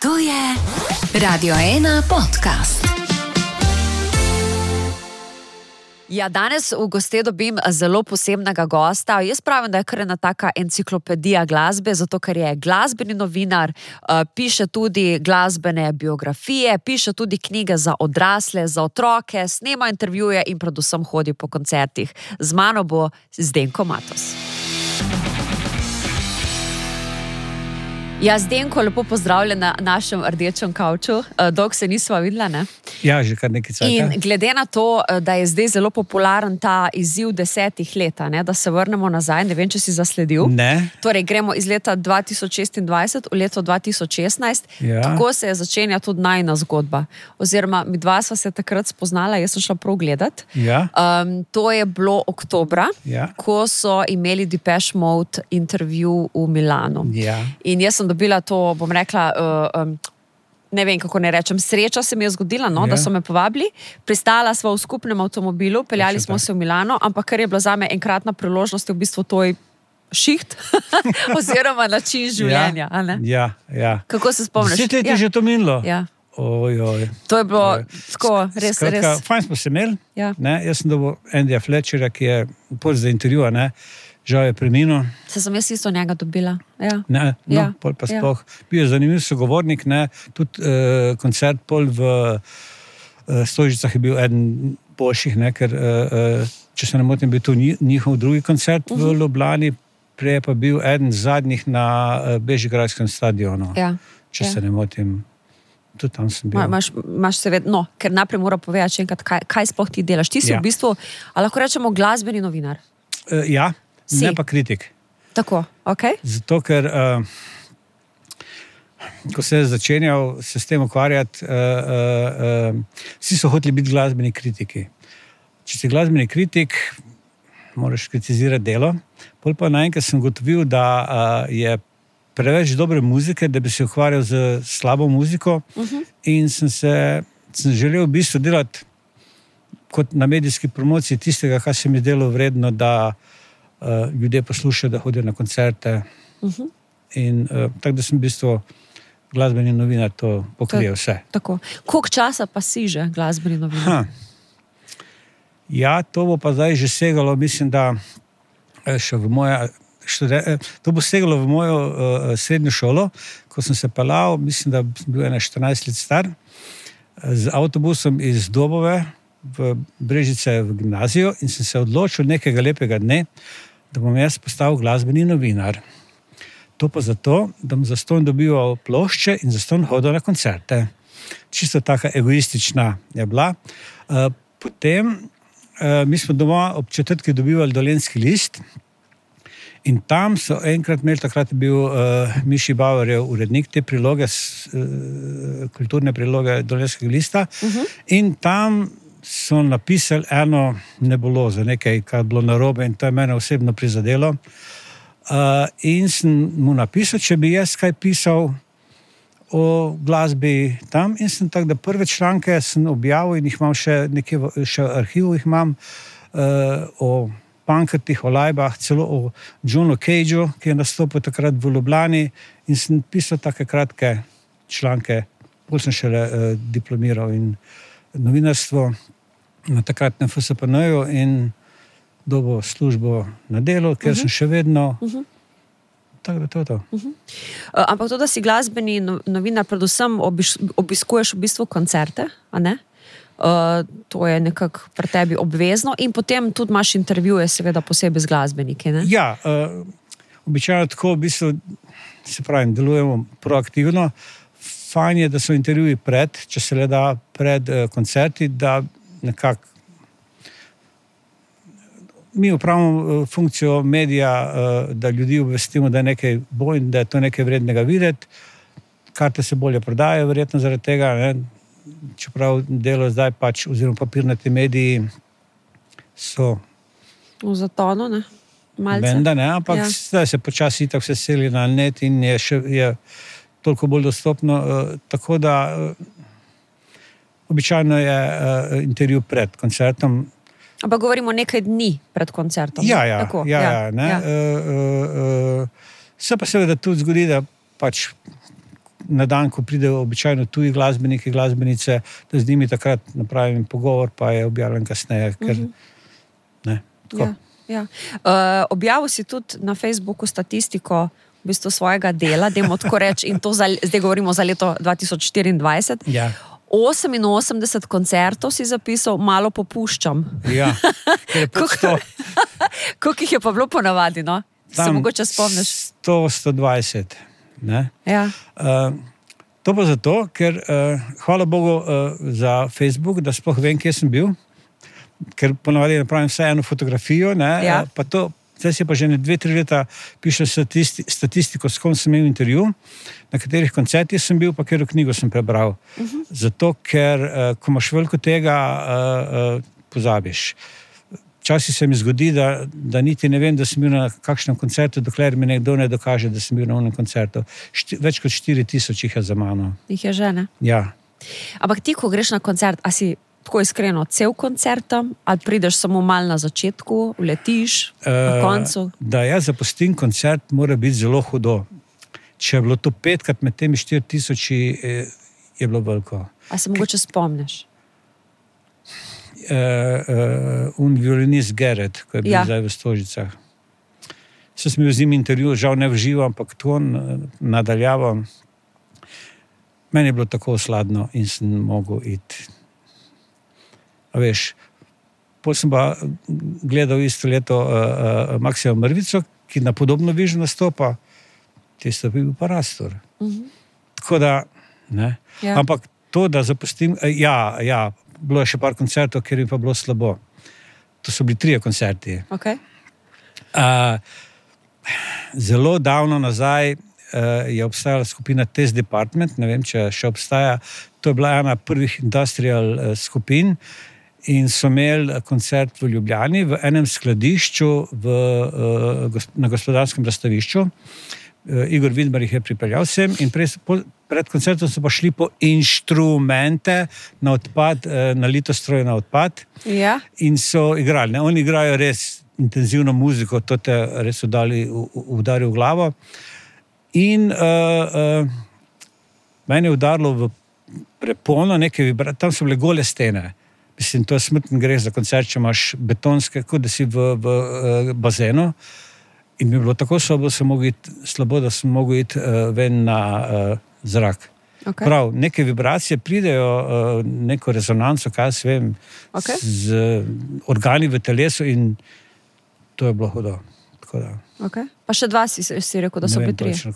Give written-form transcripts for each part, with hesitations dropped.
To je Radio 1 podcast. Ja, danes v goste dobim zelo posebnega gosta. Jaz pravim, da je kar ena taka enciklopedija glasbe, zato ker je glasbeni novinar, piše tudi glasbene biografije, piše tudi knjige za odrasle, za otroke, snema intervjuje in predvsem hodi po koncertih. Z mano bo Zdenko Matos. Ja, Zdenko, lepo pozdravljen na našem rdečem kavču. Dolgo se nisva videla, ne? Ja, že kar nekaj cajta. In glede na to, da je zdaj zelo popularen ta izziv 10 let, ne, da se vrnemo nazaj, ne vem, če si zasledil. Ne. Torej, gremo iz leta 2026 v leto 2016. Ja. Tako se je začenja tudi najina zgodba. Oziroma, mi dva sva se takrat spoznala, jaz sem šla prav gledat. Ja. To je bilo oktobra, Ja. ko so imeli Depeche Mode intervju v Milanu. Ja. In jaz sem dobila to, bom rekla, ne vem, kako ne rečem, sreča se mi je zgodila, no, Ja. da so me povabili. Pristala sva v skupnem avtomobilu, peljali Točno smo tako. se v Milano, ampak kar je bila zame enkratna priložnost, je v bistvu to šiht oziroma način življenja. A ne? Ja, ja. Kako se spomniš? 10 let je že to minilo. Ja. Ojoj. To je bilo tako, res, Skratka, res. fajn smo se imeli. Ja. Ne? Jaz sem dobil Andyja Fletcherja, ki je pol za intervjuja, ne? Žal je preminil. Se sem jaz isto njega dobila. Ja. Ne, no, Ja. pol pa Ja. sploh. Bil je zanimiv sogovornik, ne? Tudi koncert pol v Stožicah je bil eden boljših, ne? Ker če se ne motim, bil to njihov drugi koncert v Ljubljani, prej je pa bil eden zadnjih na Bežigradskem stadionu. Ja. Če Ja. se ne motim. Tudi tam sem bil. Imaš seveda, no, ker najprej mora povedati še enkrat, kaj sploh ti delaš. Ti si Ja. v bistvu, ali lahko rečemo, glasbeni novinar. Ja, Si. ne pa kritik. Tako, ok? Zato, ker ko se je začenjal se s tem ukvarjati, vsi so hoteli biti glasbeni kritiki. Če si glasbeni kritik, moraš kritizirati delo. Pol pa naenkrat sem ugotovil, da je preveč dobre muzike, da bi se ukvarjal z slabo muziko, in sem želel v bistvu delati kot na medijski promociji tistega, kar se mi delo vredno, da ljudje poslušajo, da hodijo na koncerte. In tako da sem v bistvu glasbeni novinar, to pokrije vse. Tako. Koliko časa pa si že glasbeni novinar? Ja, to bo pa zdaj že segalo, mislim, da še v moje... To bo segalo v mojo srednjo šolo, ko sem se pelal, mislim, da sem bil 14 let star, z avtobusom iz Dobove v Brežice v gimnazijo, in sem se odločil nekega lepega dne, da bom jaz postal glasbeni novinar. To pa zato, da bom zastonj dobival plošče in zastonj hodil na koncerte. Čisto taka egoistična je bila. Potem mi smo doma ob četrtki dobivali Dolenjski list, in tam so enkrat imeli, takrat je bil Miši Bauerjev urednik te priloge, kulturne priloge Dolenjskega lista, in tam so napisali eno nebulozo, nekaj, kar je bilo narobe, in to je mene osebno prizadelo. In sem mu napisal, če bi jaz kaj pisal o glasbi tam, in sem tako, da prve članke sem objavil in jih imam še nekje, še v arhivu jih imam, o Pankrtih, o Lajbah, celo o Johnu Cageu, ki je nastopil takrat v Ljubljani, in sem pisal take kratke članke, bolj sem šele diplomiral in novinarstvo na takratnem FSPN-ju in dobil službo na delu, ker sem še vedno... Tako da to je to. Ampak to, da si glasbeni novinar, predvsem obiskuješ v bistvu koncerte, a ne? To je nekako pri tebi obvezno, in potem tudi imaš intervjuje, seveda posebej z glasbeniki, ne? Ja, običajno tako, v bistvu, se pravim, delujemo proaktivno. Fajn je, da so intervjuji če se le da, pred koncerti, da nekako mi upravimo funkcijo medija, da ljudi obvestimo, da je nekaj bo in da je to nekaj vrednega videti. Karte se bolje prodajajo, verjetno zaradi tega, ne? Čeprav delo zdaj pač, oziroma papirnati mediji so V zatonu, ne? Malce. Benda, ne? Ampak zdaj se počasi itak vse seli na net in je toliko bolj dostopno, tako da običajno je intervju pred koncertom. Ampak govorimo nekaj dni pred koncertom. Ja, Tako, ne. Se pa seveda tudi zgodi, da pač na dan, ko pridejo običajno tuji glasbeniki, glasbenice, da z njimi takrat napravim pogovor, pa je objavljen kasneje, ker ne, tako. Ja. Objavil si tudi na Facebooku statistiko v bistvu svojega dela, dajmo tako reči, in to zdaj govorimo za leto 2024. Ja. 88 koncertov si zapisal, malo popuščam. Ja, ker je pod 100. Koliko jih je pa bilo ponavadi, no? Se mogoče spomniš? 100-120. Ne? Ja. To pa zato, ker hvala Bogu za Facebook, da sploh vem, kje sem bil, ker ponavadi napravim vse eno fotografijo, ne? Ja. Pa to, zdaj si pa že 2-3 leta piše statistiko, s kom sem imel intervju, na katerih koncertih sem bil, pa katero knjigo sem prebral. Zato, ker ko imaš veliko tega, pozabiš. Včasih se mi zgodi, da niti ne vem, da sem bil na kakšnem koncertu, dokler mi nekdo ne dokaže, da sem bil na onem koncertu. Več kot 4000 jih je za mano. Jih je že, ne? Ja. Ampak ti, ko greš na koncert, a si tako iskreno cel koncert tam, ali prideš samo malo na začetku, uletiš, na koncu? Da jaz zapustim koncert, mora biti zelo hudo. Če je bilo to 5krat med temi 4000, je bilo veliko. A se mogoče spomniš? Violinist Gerrit, ko je bil zdaj v Stožicah. Se sem bil z njim intervju, žal ne v živo, ampak to nadaljavo. Meni je bilo tako sladno in sem mogel iti. A veš, potem sem pa gledal isto leto Maksima Mrvico, ki na podobno vižo nastopa, tisto bi bil pa Rastor. Tako da, ne. Ja. Ampak to, da zapustim, bilo je še par koncertov, kjer je pa bilo slabo. To so bili 3 koncerti. Okay. Zelo davno nazaj je obstajala skupina Test Department, ne vem, če še obstaja. To je bila ena prvih industrial skupin in so imeli koncert v Ljubljani v enem skladišču na Gospodarskem razstavišču. Igor Vidmar jih je pripeljal sem in pred koncertom so pa šli po inštrumente na odpad, na litostroje na odpad. Ja. In so igrali. Ne? Oni igrajo res intenzivno muziko, to te res udari v glavo. In meni je udarilo v prepono nekaj vibracije, tam so bile gole stene. Mislim, to je smrten greh za koncert, če imaš betonske, kot da si v bazenu. In mi je bilo tako slabo, da sem mogel iti ven na zrak. Okay. Prav, neke vibracije pridejo, neko rezonanco, kaj se vem, z organi v telesu in to je bilo hudo. Okay. Pa še 2 si rekel, da so bili 3.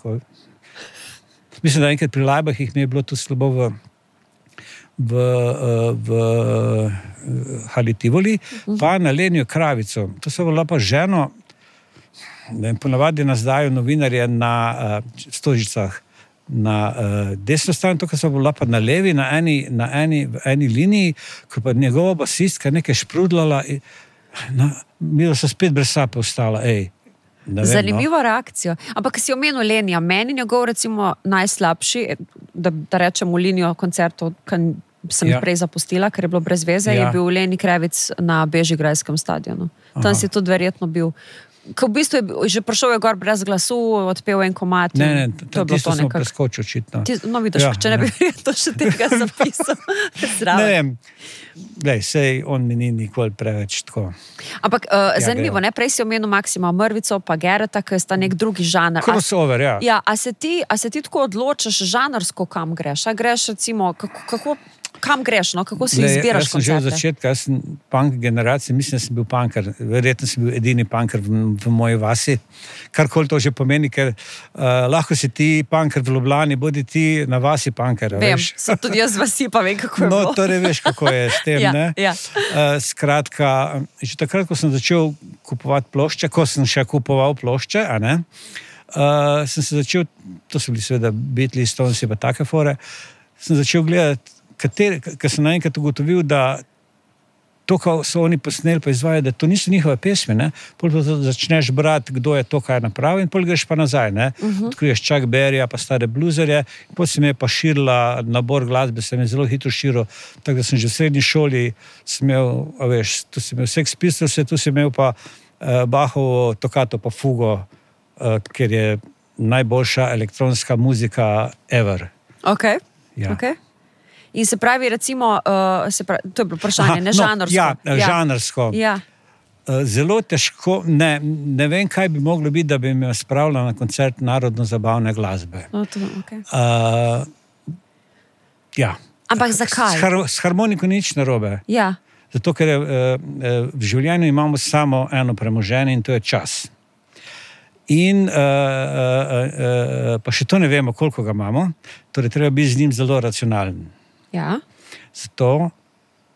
Mislim, da enkrat pri Lajbah jih mi je bilo tudi slabo v Hali Tivoli, pa na Lenjo Kravico. To so bila pa ženo, ponavadi nas dajo novinarje na Stožicah na desno stran, to, kar so bila pa na levi, v eni liniji, ko pa njegova basistka nekaj šprudlala, mi so spet brez sape ostala, Zanimiva reakcija. Ampak si omenil Lenija, meni njegov recimo najslabši, da rečemo linijo koncertov, ki sem prej zapustila, ker je bilo brez veze, je bil Leni Krevic na Bežigrajskem stadionu. Tam si tudi verjetno bil. Ko v bistvu je že prišel gor brez glasu, odpel en komad. Ne, tisto sem preskočil očitno. No vidiš, če ne bi to še tega zapisal. Ne vem, sej on mi ni nikoli preveč tako. Ampak zanimivo, ne? Prej si omenil Maksima Mrvico pa Gerrita, ki sta nek drugi žanr. Crossover, ja. Ja, a se ti tako odločaš žanrsko, kam greš? A greš recimo, kam greš, no? Kako si izbiraš koncerte? Jaz sem že od začetka, jaz sem punk generacije, mislim, da sem bil punker, verjetno sem bil edini punker v moji vasi, karkoli to že pomeni, ker lahko si ti punker v Ljubljani, bodi ti na vasi punker. Vem, sem tudi jaz vasi, pa vem, kako je bilo. No, torej veš, kako je s tem, ne? Ja. Skratka, že takrat, ko sem začel kupovati plošče, ko sem še kupoval plošče, sem se začel, to so bili seveda Beatles, Stonesi pa take fore, sem začel gledati, ker sem naenkrat ugotovil, da to, kar so oni posneli pa izvajajo, da to niso njihove pesmi, ne? Pol pa začneš brati, kdo je to, kaj je napravil in pol greš pa nazaj, ne? Odkriješ Chuck Berryja pa stare bluzerje in pol se mi je pa širila nabor glasbe, se mi je zelo hitro širil, tako da sem že v srednji šoli imel, tu si imel Sex Pistols, tu si imel pa Bachovo Toccata pa Fugo, ker je najboljša elektronska muzika ever. Okay. Ja. Okay. In se pravi, recimo, to je bilo vprašanje, ne žanrsko. Žanrsko. Ja. Zelo težko, ne vem, kaj bi moglo biti, da bi me spravila na koncert narodno-zabavne glasbe. Okay. Ja. Ampak zakaj? S harmoniko nič narobe. Ja. Zato, ker v življenju imamo samo eno premoženje in to je čas. In pa še to ne vemo, koliko ga imamo, torej treba biti z njim zelo racionalen. Ja. Zato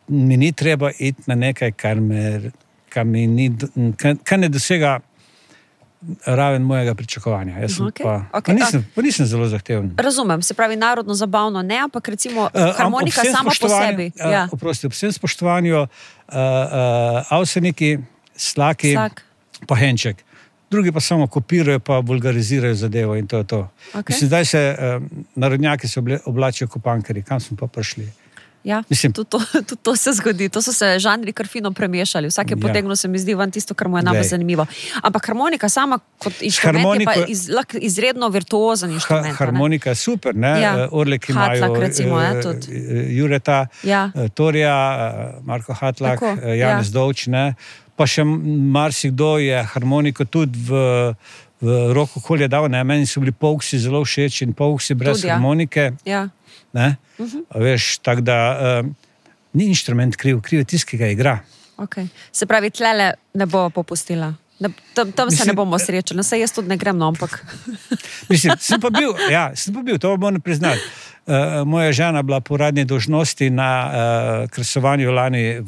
mi ni treba iti na nekaj, kar ne dosega raven mojega pričakovanja. Jaz sem pa nisem zelo zahteven. Razumem, se pravi narodno-zabavno ne, ampak recimo harmonika sama po sebi. Ja. Oprosti, ob vsem spoštovanju Avseniki, Slaki, pa Henček. Drugi pa samo kopirajo, pa vulgarizirajo zadevo in to je to. Okay. Mislim, zdaj se narodnjaki se oblačijo kot punkeri. Kam smo pa prišli? Ja, tudi to se zgodi. To so se žanri kar fino premešali. Vsak je potegnil, se mi zdi, van tisto, kar mu je najbolj zanimivo. Ampak harmonika sama kot inštrument je pa izredno virtuozen inštrument. Harmonika je super, ne? Ja. Orlek imajo Hatlak, recimo, Jureta, Torja, Marko Hatlak, Janez Dovč, ne? Pa še marsikdo je harmoniko tudi v roko okolje dal, ne? Meni so bili Pouksi zelo všeč in Pouksi brez harmonike. Ja. Ne? Veš, tako da ni inštrument kriv je tisti, ki ga igra. Okay. Se pravi, tlele ne bo popustila. Tam se ne bomo srečali. Saj jaz tudi ne grem, no, ampak... Mislim, sem pa bil, to moram priznati. Moja žena bila po uradni dolžnosti na kresovanju lani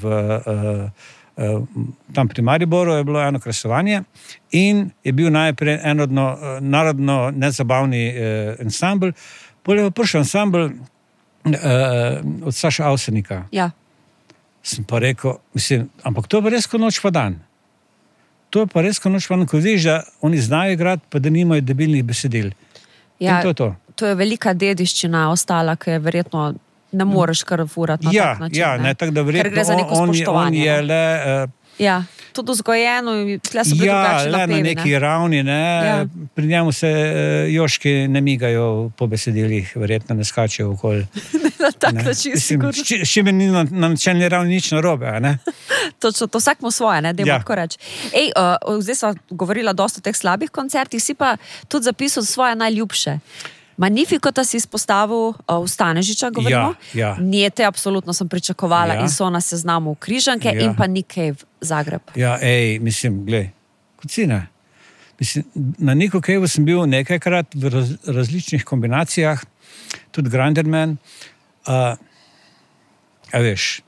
tam pri Mariboru je bilo eno kresovanje in je bil najprej narodno nezabavni ansambl, potem je prišel ansambl od Saša Avsenika. Ja. Sem pa rekel, ampak to je pa res kot noč pa dan. To je pa res kot noč pa dan, ko vidiš, da oni znajo igrati, pa da nimajo debilnih besedil. Ja, in to je to. To je velika dediščina ostala, ki je verjetno ne moreš kar furati na tak način. Ja, ne, tako da verjetno on je le... Ja, tudi vzgojeno, tle so bili drugačni napevi. Ja, le na neki ravni, ne. Ja. Pri njemu se joški ne migajo po besedilih, verjetno ne skačejo okoli. Na tak način sigurno. S čim ni na načelni ravni nič narobe, ne? Točno, to vsak mu svoje, ne, dajmo tako reči. Zdaj sva govorila dosti o teh slabih koncertih, si pa tudi zapisal svoje najljubše. Magnificota si izpostavil v Stanežiča, govorimo. Ja. Njete, absolutno sem pričakovala in so na seznamu Križanke in pa Nick Cave, Zagreb. Ja, glej, kot si ne. Na Nicku Caveu sem bil nekajkrat v različnih kombinacijah, tudi Granderman. Veš,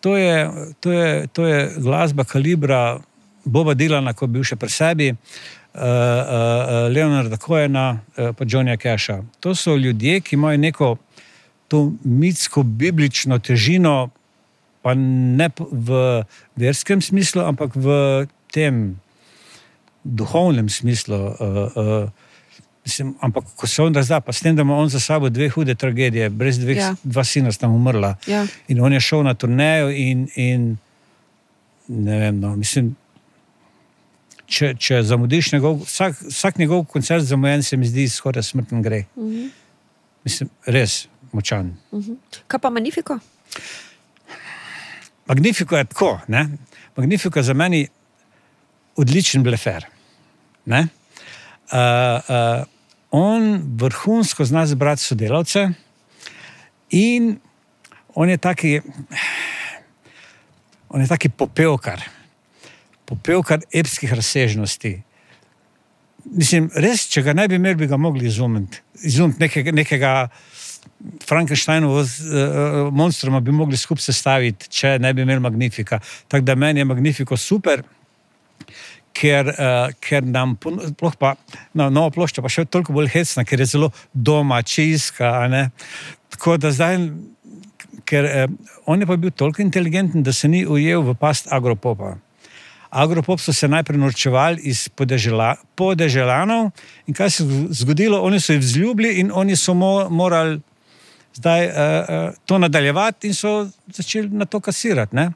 to je glasba kalibra Boba Dylana, ko je bil še pri sebi, Leonarda Cohena, pa Johnnyja Casha. To so ljudje, ki imajo neko to mitsko-biblično težino, pa ne v verskem smislu, ampak v tem duhovnem smislu. Ampak ko se on razda, pa s tem, da ima on za sabo dve hude tragedije, brez dva sina sta umrla. Ja. In on je šel na turnejo in ne vem, če zamudiš vsak njegov koncert zamujen, se mi zdi skoraj smrten greh. Res močan. Kaj pa Magnifico? Magnifico je tako, ne? Magnifico je za meni odličen blefer. Ne? On vrhunsko zna zbrati sodelavce in on je taki popevkar epskih razsežnosti. Res, če ga ne bi imeli, bi ga mogli izumiti nekega Frankensteinovega monstruma bi mogli skupaj sestaviti, če ne bi imeli Magnifica. Tako da meni je Magnifico super, ker nam, sploh pa nova plošča, pa še toliko bolj hecna, ker je zelo domačijska, ne. Tako da zdaj, ker on je pa bil toliko inteligenten, da se ni ujel v past agropopa. Agropop so se najprej norčevali iz podeželanov in kaj se je zgodilo? Oni so jih vzljubili in oni so morali zdaj to nadaljevati in so začeli na to kasirati. Ne?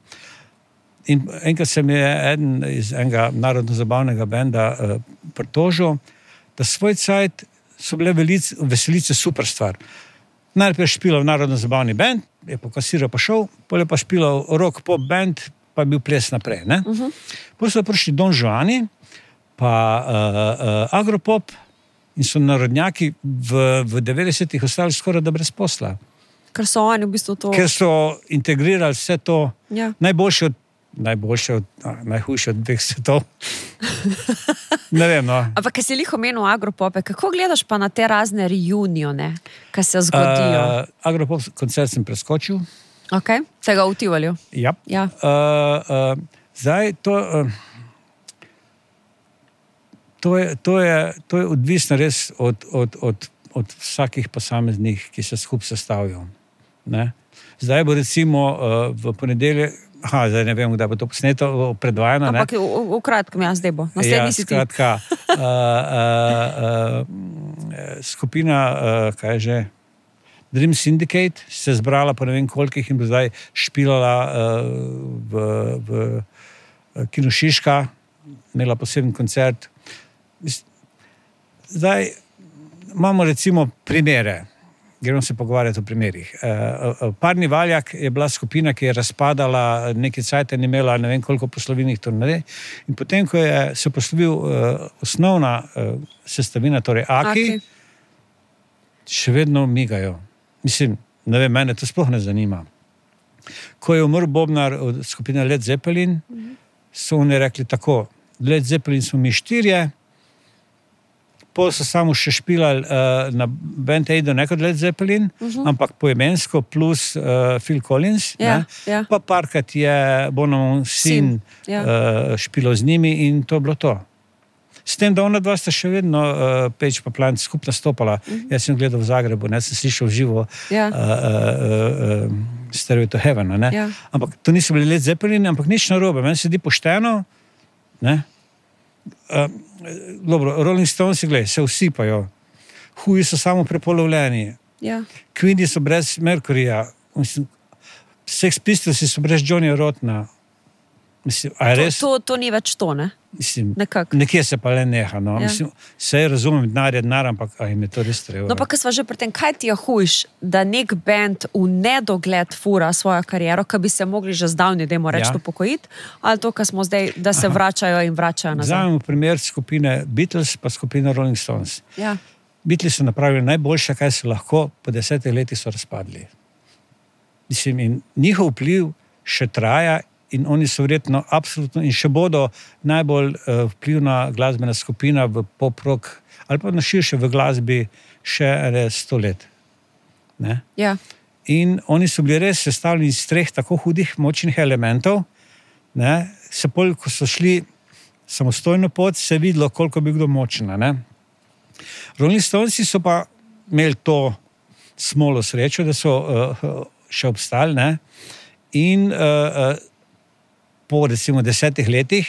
In enkrat se mi je eden iz enega narodno-zabavnega benda pritožil, da svoj cajt so bile veselice super stvar. Najprej špilal narodno-zabavni band, je pokasiral pa šel, potem je pa špilal rock pop band, pa je bil ples naprej. Potem so prišli Don Juani, pa Agropop in so narodnjaki v 90-ih ostali skoraj da brez posla. Ker so oni v bistvu to... Ker so integrirali vse to, Ja. najhujše od dveh svetov. Ne vem, no. Ampak, ker si lih omenil Agropope, kako gledaš pa na te razne reunione, ki se zgodijo? Agropop koncert sem preskočil. Okay. Tega v Tivolju? Ja. Ja. Zdaj, to je odvisno res od vsakih posameznih, ki se skupaj sestavijo. Ne? Zdaj bo recimo v ponedeljek, zdaj ne vem, kdaj bo to posneto, predvajano. Ampak v kratkem, zdaj bo. Naslednji si ti. Skratka, skupina, kaj je že, Dream Syndicate se je zbrala po ne vem kolikih in bo zdaj špilala v Kinu Šiška, imela poseben koncert. Zdaj imamo recimo primere, gremo se pogovarjati o primerih. Parni Valjak je bila skupina, ki je razpadala, neki cajt je imela ne vem koliko poslovilnih turnej in potem, ko je se poslovil osnovna sestavina, torej Aki, še vedno migajo. Mislim, ne vem, mene to sploh ne zanima. Ko je umrl bobnar od skupine Led Zeppelin, so oni rekli tako, Led Zeppelin smo mi 4, pol so samo še špilali na Band Aidu, ne kot Led Zeppelin, ampak poimensko plus Phil Collins, pa parkrat je Bonhamov sin špilal z njimi in to je bilo to. S tem, da ona dva sta še vedno Page pa Plant skupaj nastopala. Jaz sem gledal v Zagrebu, sem slišal živo Stairway to Heaven. Ampak to niso bili Led Zeppelin, ampak nič narobe. Meni se di pošteno. Dobro, Rolling Stones, glej, se usipajo. Huji so samo prepolovljeni. Queeni so brez Mercuryja. Sex Pistols so brez Johnnyja Rottena. Mislim, to ni več to, ne? Mislim, nekje se pa le neha. No. Mislim, se razumem, denar je denar, ampak jim je to res treba. No pa, ko sva že pri tem, kaj ti je hujš, da nek band v nedogled fura svojo kariero, ki bi se mogli že zdavni, dajmo reči, upokojiti, ali to, kar smo zdaj, da se vračajo in vračajo nazaj? Vzamemo primer skupine Beatles pa skupine Rolling Stones. Beatles so napravili najboljše, kaj so lahko, po 10 letih so razpadli. Mislim, in njihov vpliv še traja in oni so verjetno absolutno in še bodo najbolj vplivna glasbena skupina v pop-rock ali pa na širše v glasbi še 100 let. Ne? Ja. In oni so bili res sestavljeni iz 3 tako hudih močnih elementov, ne? Se pol, ko so šli samostojno pot, se je videlo, koliko bi kdo močna. Ne? Rolling Stonesi so pa imeli to smolo srečo, da so še obstali, ne? In po recimo 10 letih,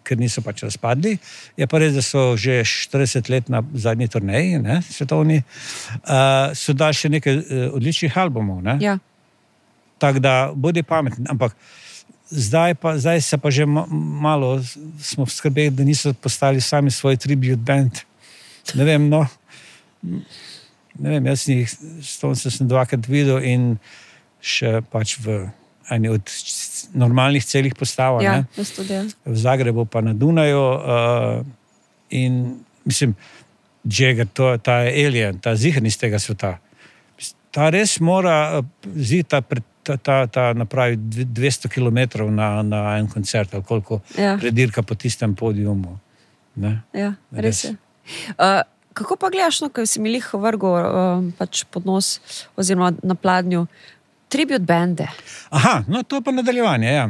ker niso pač razpadli, je pa res, da so že 40 let na zadnji turneji, ne, svetovni, so dali še nekaj odličnih albumov. Ne. Ja. Tako da bodi pametni, ampak zdaj se pa že malo smo skrbeli, da niso postali sami svoj tribute band. Ne vem, no, ne vem, jaz sem dvakrat videl in še pač v eni od normalnih celih postav, ja, v Zagrebu pa na Dunaju in mislim, Jagger, ta je alien, ta ziher iz tega sveta. Ta res mora ta napravi 200 kilometrov na en koncert, ali koliko predirka po tistem podiumu. Ne? Ja, res je. Kako pa gledaš, no, ko si mi lih vrgel pač pod nos oziroma na pladnju, tribute bande. Aha, no to pa nadaljevanje, ja.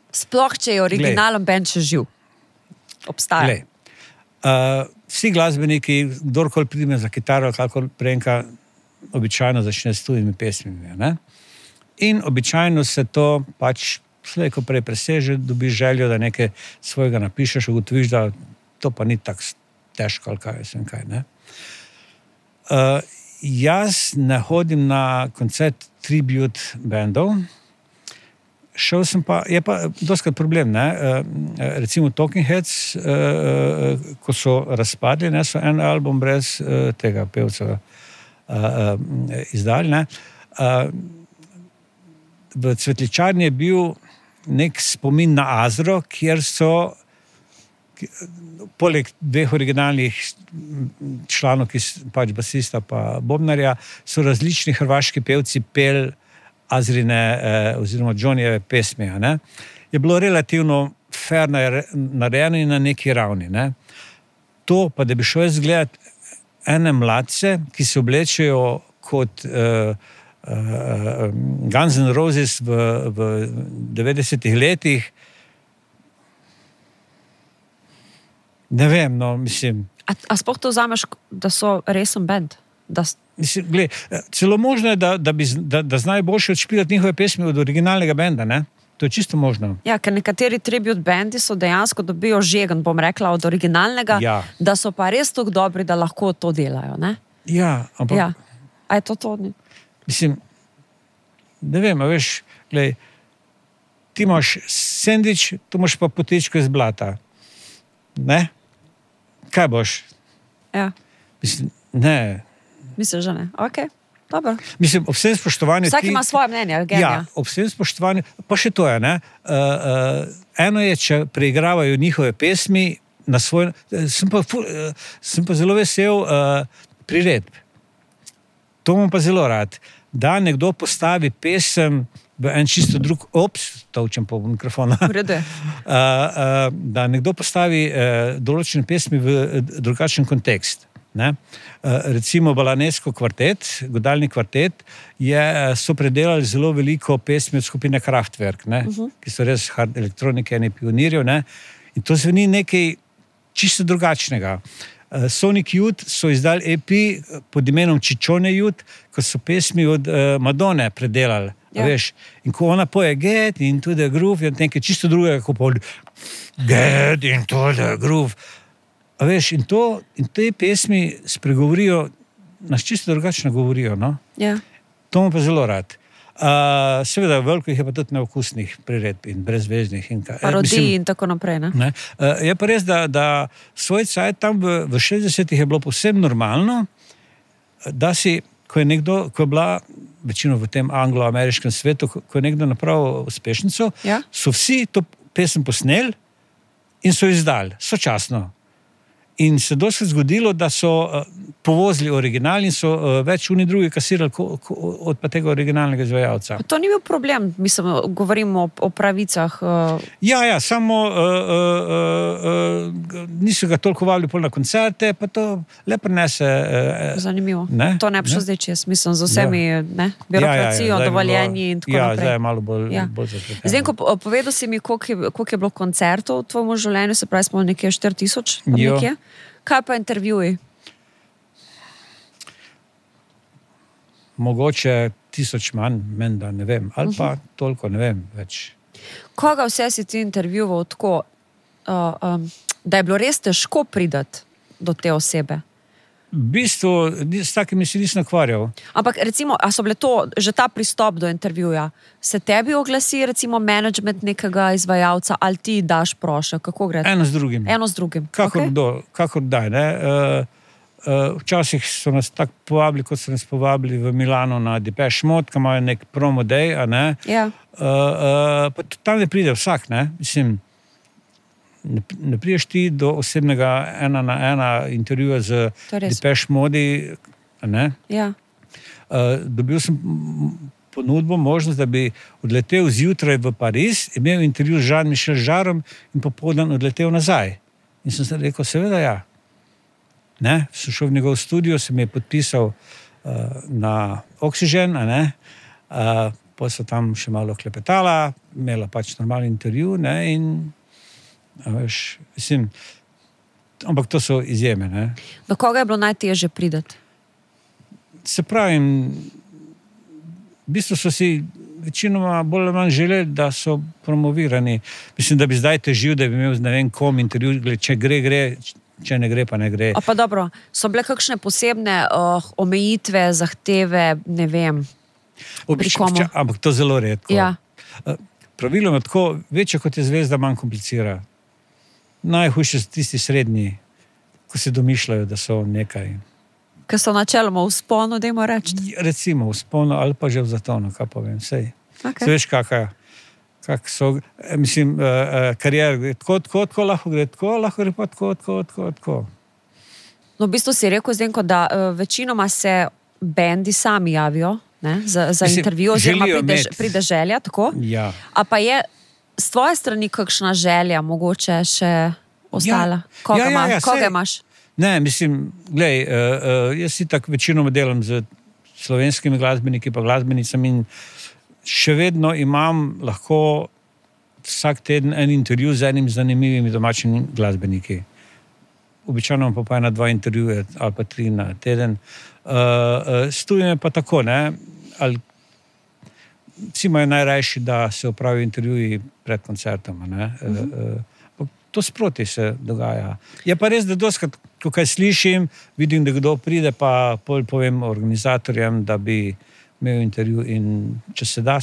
Sploh, če je originalen band še živ. Obstaja. Vsi glasbeniki, kdorkoli prime za kitaro, kakor prenka, običajno začne s tujimi pesmimi. Ne? In običajno se to pač slej, ko prej preseže, dobiš željo, da nekaj svojega napišeš, ugotoviš, da to pa ni tako težko, ali kaj, vsem kaj, ne. Jaz ne hodim na koncert tribute bandov, šel sem pa, je pa doskrat problem, ne? Recimo Talking Heads, ko so razpadli, ne, so en album brez tega pevca izdali, ne? V Cvetličarni je bil nek spomin na Azro, kjer so poleg dveh originalnih članov, ki pač basista pa bobnarja, so različni hrvaški pevci pel Azrine oziroma Johnnyjeve pesmi. Ne? Je bilo relativno fair narejeno in na neki ravni. Ne? To pa, da bi šel jaz gledati ene mladce, ki se oblečejo kot Guns N' Roses v 90-ih letih, ne vem, no, mislim. A sploh to vzameš, da so resen band? Mislim, gled, celo možno je, da znajo boljše odšpilati njihove pesmi od originalnega benda, ne? To je čisto možno. Ja, ker nekateri tribute bandi so dejansko dobijo žegen, bom rekla, od originalnega, ja. Da so pa res tako dobri, da lahko to delajo, ne? Ja, ampak... Ja. A je to? Mislim, ne vem, a veš, gled, ti imaš sendvič, tu imaš pa potičko iz blata. Ne? Kaj boš? Ja. Mislim, ne. Mislim, že ne. Ok, dobro. Mislim, ob vsem spoštovanju... Vsak ima svoje mnenje, genija. Ja, ob vsem spoštovanju... Pa še to je, ne? Eno je, če preigravajo njihove pesmi na svoj... Sem pa zelo vesel priredb. To imam pa zelo rad. Da nekdo postavi pesem v en čisto drug, tolčem po mikrofonu, da nekdo postavi določene pesmi v drugačen kontekst. Ne? Recimo Balanesko kvartet, godalni kvartet, so predelali zelo veliko pesmi od skupine Kraftwerk, ne? Ki so res hard elektronike, eni pionirjev, ne? In to zveni nekaj čisto drugačnega. Sonic Youth so izdali EP pod imenom Ciccione Youth, ko so pesmi od Madone predelali. Ja. Veš, in ko ona poje Get into the groove, je nekaj čisto drugega, ko pol Get into the groove. A veš, in te pesmi spregovorijo, nas čisto drugačno govorijo, no? Ja. To mu pa zelo rad. Seveda, veliko jih je pa tudi neokusnih priredb in brezveznih. Parodij in tako naprej, ne? Je pa res, da svoj cajt tam v 60-ih je bilo povsem normalno, da si, ko je bila večino v tem anglo-ameriškem svetu, ko je nekdo napravil uspešnico, ja? So vsi to pesem posneli in so izdali, sočasno. In se dosti zgodilo, da so povozili original in so več oni drugi kasirali od pa tega originalnega izvajalca. To ni bil problem, mislim, govorimo o pravicah. Ja, samo niso ga toliko vabili pol na koncerte, pa to le prinese. Zanimivo. Ne? To ne bi šlo zdaj čez, mislim, z vsemi birokracijo, dovoljenji in tako naprej. Zdaj je malo bolj zapleteno. Zdaj, ko povedal si mi, koliko je bilo koncertov v tvojem življenju, se pravi, smo nekje 4000, nekje. Kaj pa intervjuji? Mogoče 1000 manj, menda, ne vem. Ali pa toliko, ne vem več. Koga vse si ti intervjuval tako, da je bilo res težko priti do te osebe? V bistvu, s takimi si nisem ukvarjal. Ampak recimo, a so bile to, že ta pristop do intervjuja, se tebi oglasi recimo management nekega izvajalca ali ti daš prošljo? Kako gre? Eno z drugim. Kakor daj, ne? Včasih so nas tako povabili, kot so nas povabili v Milano na Depeche Mode, ki imajo nek promo day, a ne? Ja. Pa tam ne pride vsak, ne? Mislim, ne priješ ti do osebnega 1-na-1 intervjuja z Depeche Mode, ne? Ja. Dobil sem ponudbo, možnost, da bi odletel zjutraj v Pariz, imel intervju z Jean-Michel Jarrom in popoldan odletel nazaj. In sem se rekel, seveda ja. Ne? Sem šel v njegov studio, se mi je podpisal na Oxygen, a ne? Potem so tam še malo klepetala, imela pač normalni intervju, ne? In veš, mislim, ampak to so izjeme, ne? Do koga je bilo najtežje priti? Se pravim, v bistvu so si večinoma bolj ali manj želeli, da so promovirani. Mislim, da bi zdaj težil, da bi imel ne vem kom intervju, če gre, če ne gre, pa ne gre. A pa dobro, so bile kakšne posebne omejitve, zahteve, ne vem, pri komu? Ampak to zelo redko. Ja. praviloma tako, večja kot je zvezda, manj komplicira. Najhujše so tisti srednji, ko se domišljajo, da so nekaj. Ker so načeloma v sponu, dajmo reči. Recimo v sponu ali pa že v zatonu, kaj povem, sej. Okay. Se veš, kak so, mislim, karier, tako lahko gre, lahko gre pa tako. No, v bistvu si rekel, Zdenko, da večinoma se bendi sami javijo, ne, za intervju, oziroma pride želja, tako? Ja. A pa je z tvoje strani kakšna želja, mogoče še ostala? Koga imaš? Ne, mislim, glej, jaz si tako večinoma delam z slovenskimi glasbeniki pa glasbenicami in še vedno imam lahko vsak teden en intervju z enim zanimivimi domačimi glasbeniki. Običajno pa 1-2 intervjuje ali pa 3 na teden. Stuje pa tako, ne, ali vsi imajo najrajši, da se opravijo intervjuji pred koncertoma, ne. To sproti se dogaja. Je pa res, da doskrat, ko kaj slišim, vidim, da kdo pride, pa povem organizatorjem, da bi imel intervju in če se da,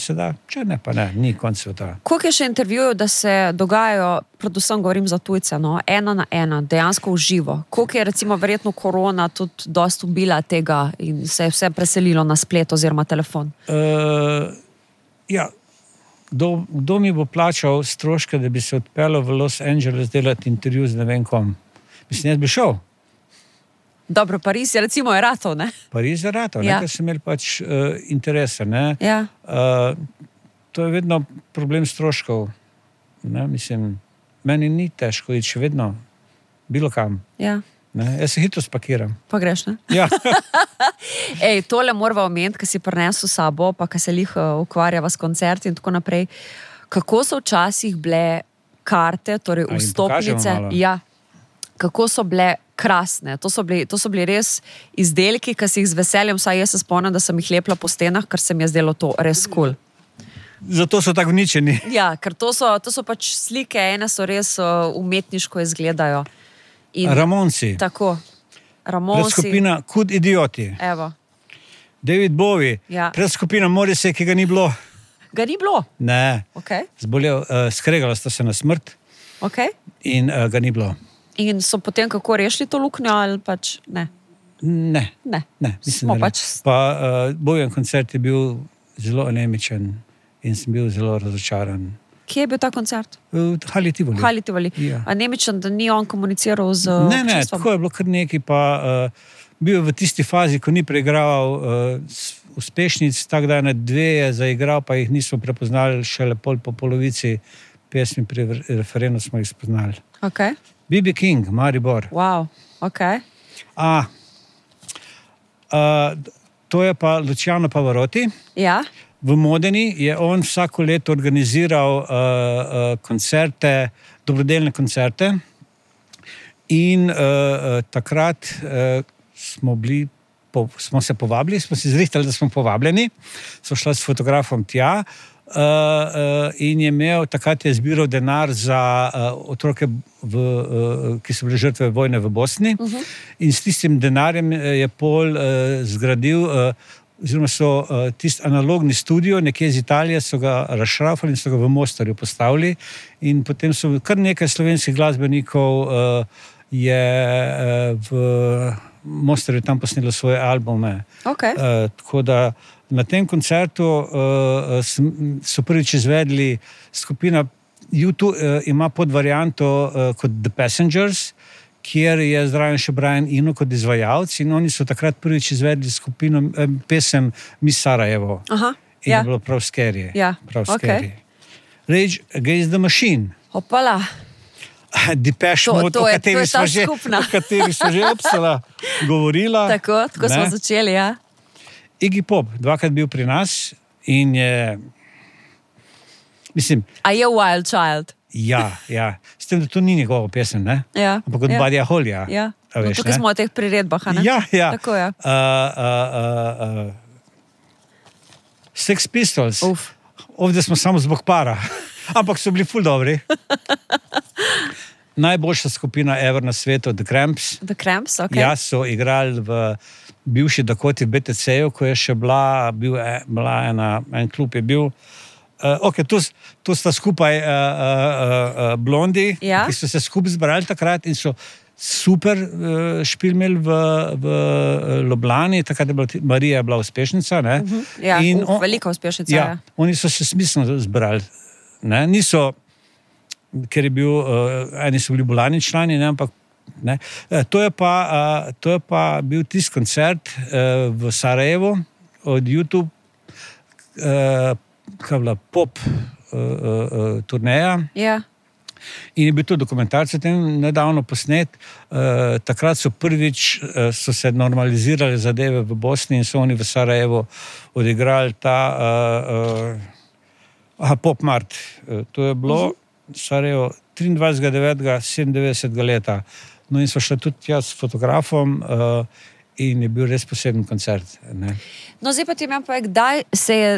če ne, pa ne, ni konc sveta. Koliko je še intervjujev, da se dogajajo, predvsem govorim za tujce, no, 1 na 1, dejansko v živo? Koliko je recimo verjetno korona tudi dost ubila tega in se je vse preselilo na splet oziroma telefon? Ja, kdo mi bo plačal stroške, da bi se odpeljal v Los Angeles delati intervju z ne vem kom? Mislim, jaz bi šel. Dobro, Pariz je recimo ratov, ne? Pariz je ratov, Ja. ker sem imel pač interese, ne? Ja. To je vedno problem stroškov, ne? Mislim, meni ni težko iti še vedno, bilo kam, Ja. ne? Jaz se hitro spakiram. Pa greš, ne? Ja. Ej, tole morava omeniti, ki si prinesel sabo, pa ki se ukvarjava s koncerti in tako naprej. Kako so včasih bile karte, torej jim vstopnice? pokažemo malo? Ja. Kako so bile krasne. To so bili res izdelki, ki si jih z veseljem, vsaj jaz se spomnim, da sem jih lepila po stenah, ker se mi je zdelo to res cool. Zato so tako uničeni. Ja, ker to so pač slike, ene so res umetniško izgledajo. In Ramonsi. tako. Ramonsi. Predskupina Kud idioti. Evo. David Bowie. Ja. Predskupina Morrissey, ki ga ni bilo. Ga ni bilo? Ne. Ok. Zbolel, skregala sta se na smrt Ok. in ga ni bilo. In so potem kako rešili to luknjo ali pač ne? Ne. Ne. Mislim, Smo da ne. pač... Pa Bojan koncert je bil zelo anemičen in sem bil zelo razočaran. Kje je bil ta koncert? V Hali Tivoli. Hali Tivoli. Ja. A nemičen, da ni on komuniciral z Ne, občinstvom? tako je bilo kar nekaj, pa bil je v tisti fazi, ko ni preigraval uspešnic, tako da na 2 je zaigral, pa jih nismo prepoznali, šele po polovici pesmi pri referendu smo jih spoznali. Ok. B.B. King, Maribor. Wow. Ok. To je pa Luciano Pavarotti. Ja. V Modeni je on vsako leto organiziral koncerte, dobrodelne koncerte in takrat smo se povabili, smo si zrihtali, da smo povabljeni, so šla s fotografom tja in je imel, takrat je zbiral denar za otroke, ki so bile žrtve vojne v Bosni in s tistim denarjem je pol zgradil oziroma so tisti analogni studio, nekje iz Italije so ga razšrafali in so ga v Mostarju postavili in potem so kar nekaj slovenskih glasbenikov je v Mostarju tam posnelo svoje albume. Ok. Tako da na tem koncertu so prvič izvedli skupina YouTube, ima podvarianto kot The Passengers, kjer je zraven še Brian Eno kot izvajalec in oni so takrat prvič izvedli skupino pesem Miss Sarajevo. Aha. In Ja. je bilo prav scary. Ja, Prav ok. scary. Rage Against the Machine. Opala. Depeche To- Mode, to o je- kateri to je ta smo že, skupna. o kateri smo že obsala govorila. Tako smo Ne? začeli, ja. Iggy Pop, 2krat bil pri nas in je, mislim, A je Wild Child? ja, s tem, da to ni njegova pesem, ne? Ja. Ampak od ja. Buddyja Hollya. Ja. A No, veš, tukaj ne? smo v teh priredbah, a ne? Ja. Tako je. Sex Pistols. Uf. Ovdje smo samo zbog para. Ampak so bili ful dobri. Najboljša skupina ever na svetu, The Cramps. The Cramps, ok. Ja, so igrali v bivši Dakoti v BTC-ju, ko je še bila en klub je bil. Okay, tu sta skupaj blondi, Ja. ki so se skupaj zbrali takrat in so super špil imeli v Ljubljani, takrat je bila Marija bila uspešnica. Ne? Ja, In velika uspešnica. Ja, Ja. oni so se smiselno zbrali. Ne? Niso, ker je bil, eni so bili bolani člani, ne? Ampak ne? To je pa bil tisti koncert v Sarajevu od YouTube, kaj je bila pop turneja. Ja. In je bil to dokumentarc o tem nedavno posnet. Takrat so prvič so se normalizirale zadeve v Bosni in so oni v Sarajevu odigrali ta Pop Mart. To je bilo Sarajevo 23.9.97 leta. No in so šli tudi jaz s fotografom in je bil res poseben koncert. Ne. No, zdaj pa ti imam povedati, kdaj se je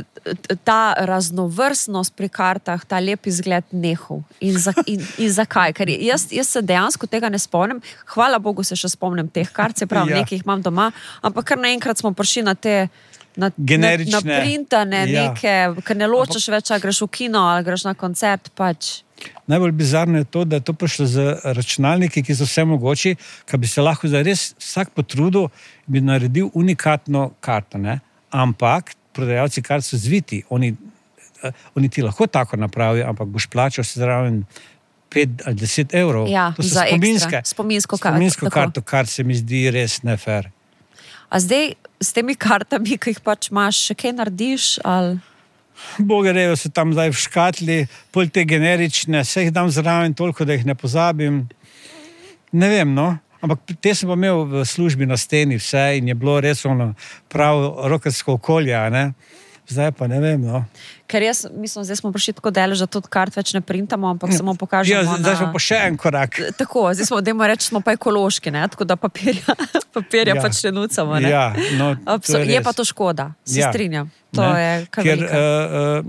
ta raznovrstnost pri kartah, ta lep izgled nehal in zakaj? Ker jaz se dejansko tega ne spomnim. Hvala Bogu se še spomnim teh kart, se pravi, Ja. nekaj jih imam doma, ampak kar naenkrat smo prišli na te Generične. na printane Ja. neke, ker ne ločeš več, ali greš v kino ali greš na koncert, pač. Najbolj bizarno je to, da je to prišlo z računalniki, ki so vse mogoči, ki bi se lahko zdaj res vsak potrudil, bi naredil unikatno karto. Ne? Ampak prodajalci kart so zviti. Oni ti lahko tako napravijo, ampak boš plačal se zraven 5 ali 10 evrov. Ja, to so za spominske. ekstra, spominsko karto, Spominsko tako. karto, kar se mi zdi res nefer. A zdaj s temi kartami, ki jih pač imaš, še kaj narediš? Ali? Bogerejo so tam zdaj v škatli, pol te generične, vse jih dam zraven toliko, da jih ne pozabim. Ne vem, no. Ampak te sem pa imel v službi na steni vse in je bilo res ono prav rokersko okolje, a ne. Zdaj pa ne vem, no. Ker jaz mislim, zdaj smo prišli tako daleč, da tudi kart več ne printamo, ampak samo pokažemo. Ja, zdaj smo pa še en korak. Tako, zdaj smo, dajmo reči, smo pa ekološki, ne? Tako da papirja Ja. pač ne nucamo. Ne? Ja, no, to Je res. pa to škoda, se Ja. strinjam. To Ne, je kar ker velika.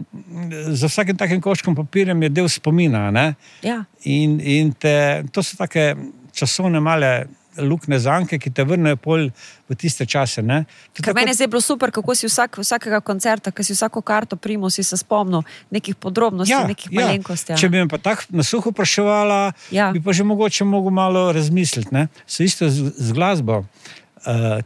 za vsakim takim koščkom papirjem je del spomina, ne? Ja. In to so take časovne male lukne zanke, ki te vrnejo pol v tiste čase, ne? To Ker tako- meni je zdaj bilo super, kako si vsakega koncerta, ki si vsako karto primo, si se spomnil nekih podrobnosti, nekih malenkosti. Če bi me pa tako na suho vpraševala, Ja. bi pa že mogoče mogel malo razmisliti. Ne? Se isto z glasbo.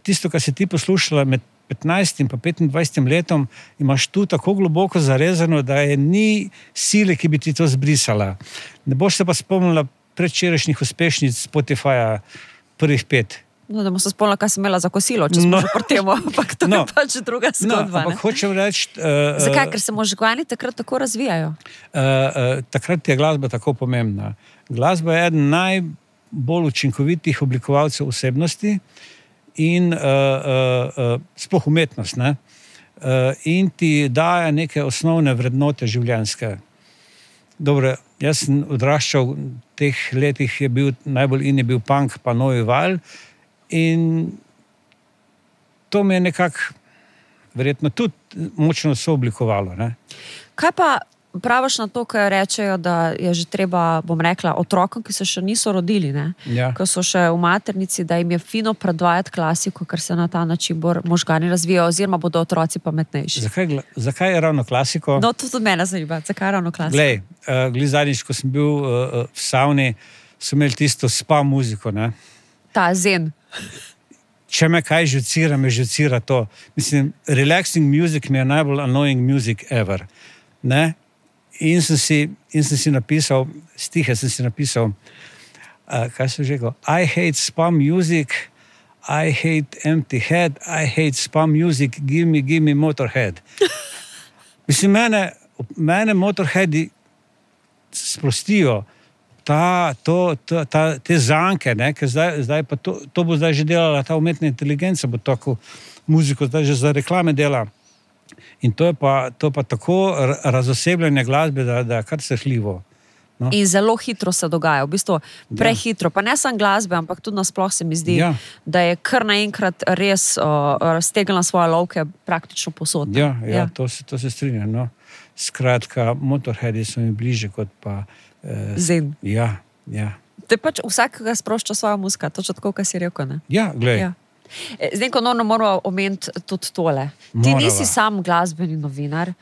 Tisto, kar si ti poslušala med 15 in pa 25 letom, imaš tu tako globoko zarezano, da je ni sile, ki bi ti to zbrisala. Ne boš se pa spomnila predvčerajšnjih uspešnic Spotifyja prvih 5. No, da bomo se spomnili, kaj sem imela za kosilo, če smo že pri tem, ampak to je pač druga zgodba. ampak hočem reči... Zakaj? Ker se možgani takrat tako razvijajo. Takrat je glasba tako pomembna. Glasba je eden najbolj učinkovitih oblikovalcev osebnosti in sploh umetnost. Ne? In ti daje neke osnovne vrednote življenjske. Dobro, jaz sem odraščal v teh letih, je bil najbolj in je bil punk, pa novi val. In to me je nekako verjetno tudi močno sooblikovalo. Ne? Kaj pa praviš na to, ko rečejo, da je že treba, bom rekla, otrokom, ki se še niso rodili, ne? Ja. Ko so še v maternici, da jim je fino predvajati klasiko, ker se na ta način možgani razvijajo, oziroma bodo otroci pametnejši. Zakaj je ravno klasiko? No, to tudi mene zanima, zakaj ravno klasiko? Glej, zadnjič, ko sem bil v savni, so imeli tisto spa muziko. Ne? Ta zen. Če me kaj žucira, me žucira to. Mislim, relaxing music mi je najbolj annoying music ever. Ne? In sem si napisal, stihe sem si napisal, kaj sem že rekel, I hate spa music, I hate empty head, I hate spa music, give me Motorhead. Mislim, mene Motorheadi sprostijo te zanke, ne, ker zdaj pa to bo zdaj že delala ta umetna inteligenca, bo tako muziko zdaj že za reklame dela. In to je pa tako razosebljanje glasbe, da je kar srhljivo. No. In zelo hitro se dogaja, v bistvu prehitro. Pa ne samo glasbe, ampak tudi nasploh se mi zdi, da je kar naenkrat res raztegnila svoje lovke praktično povsod. Ja, to se strinjam. No. Skratka, Motorheadi so mi bliže kot pa... Zen. Ja. Te pač vsakega sprošča svoja muzika, točno tako, kar si rekel, ne? Ja, glej. Ja. Zdaj, ko moramo omeniti tudi tole. Ti nisi sam glasbeni novinar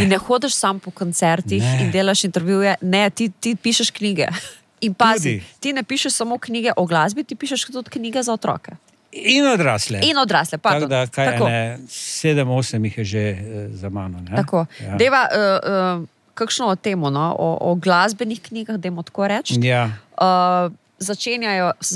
in ne hodiš sam po koncertih in delaš intervjuje. Ne, ti pišeš knjige. In pazi, ti ne pišeš samo knjige o glasbi, ti pišeš tudi knjige za otroke. In odrasle. Pardon. Tako da, 7-8 jih je že za mano. Ne? Tako. Ja. Deva, kakšno o temo, no? O glasbenih knjigah, dajmo tako reči. Ja. Začenjajo z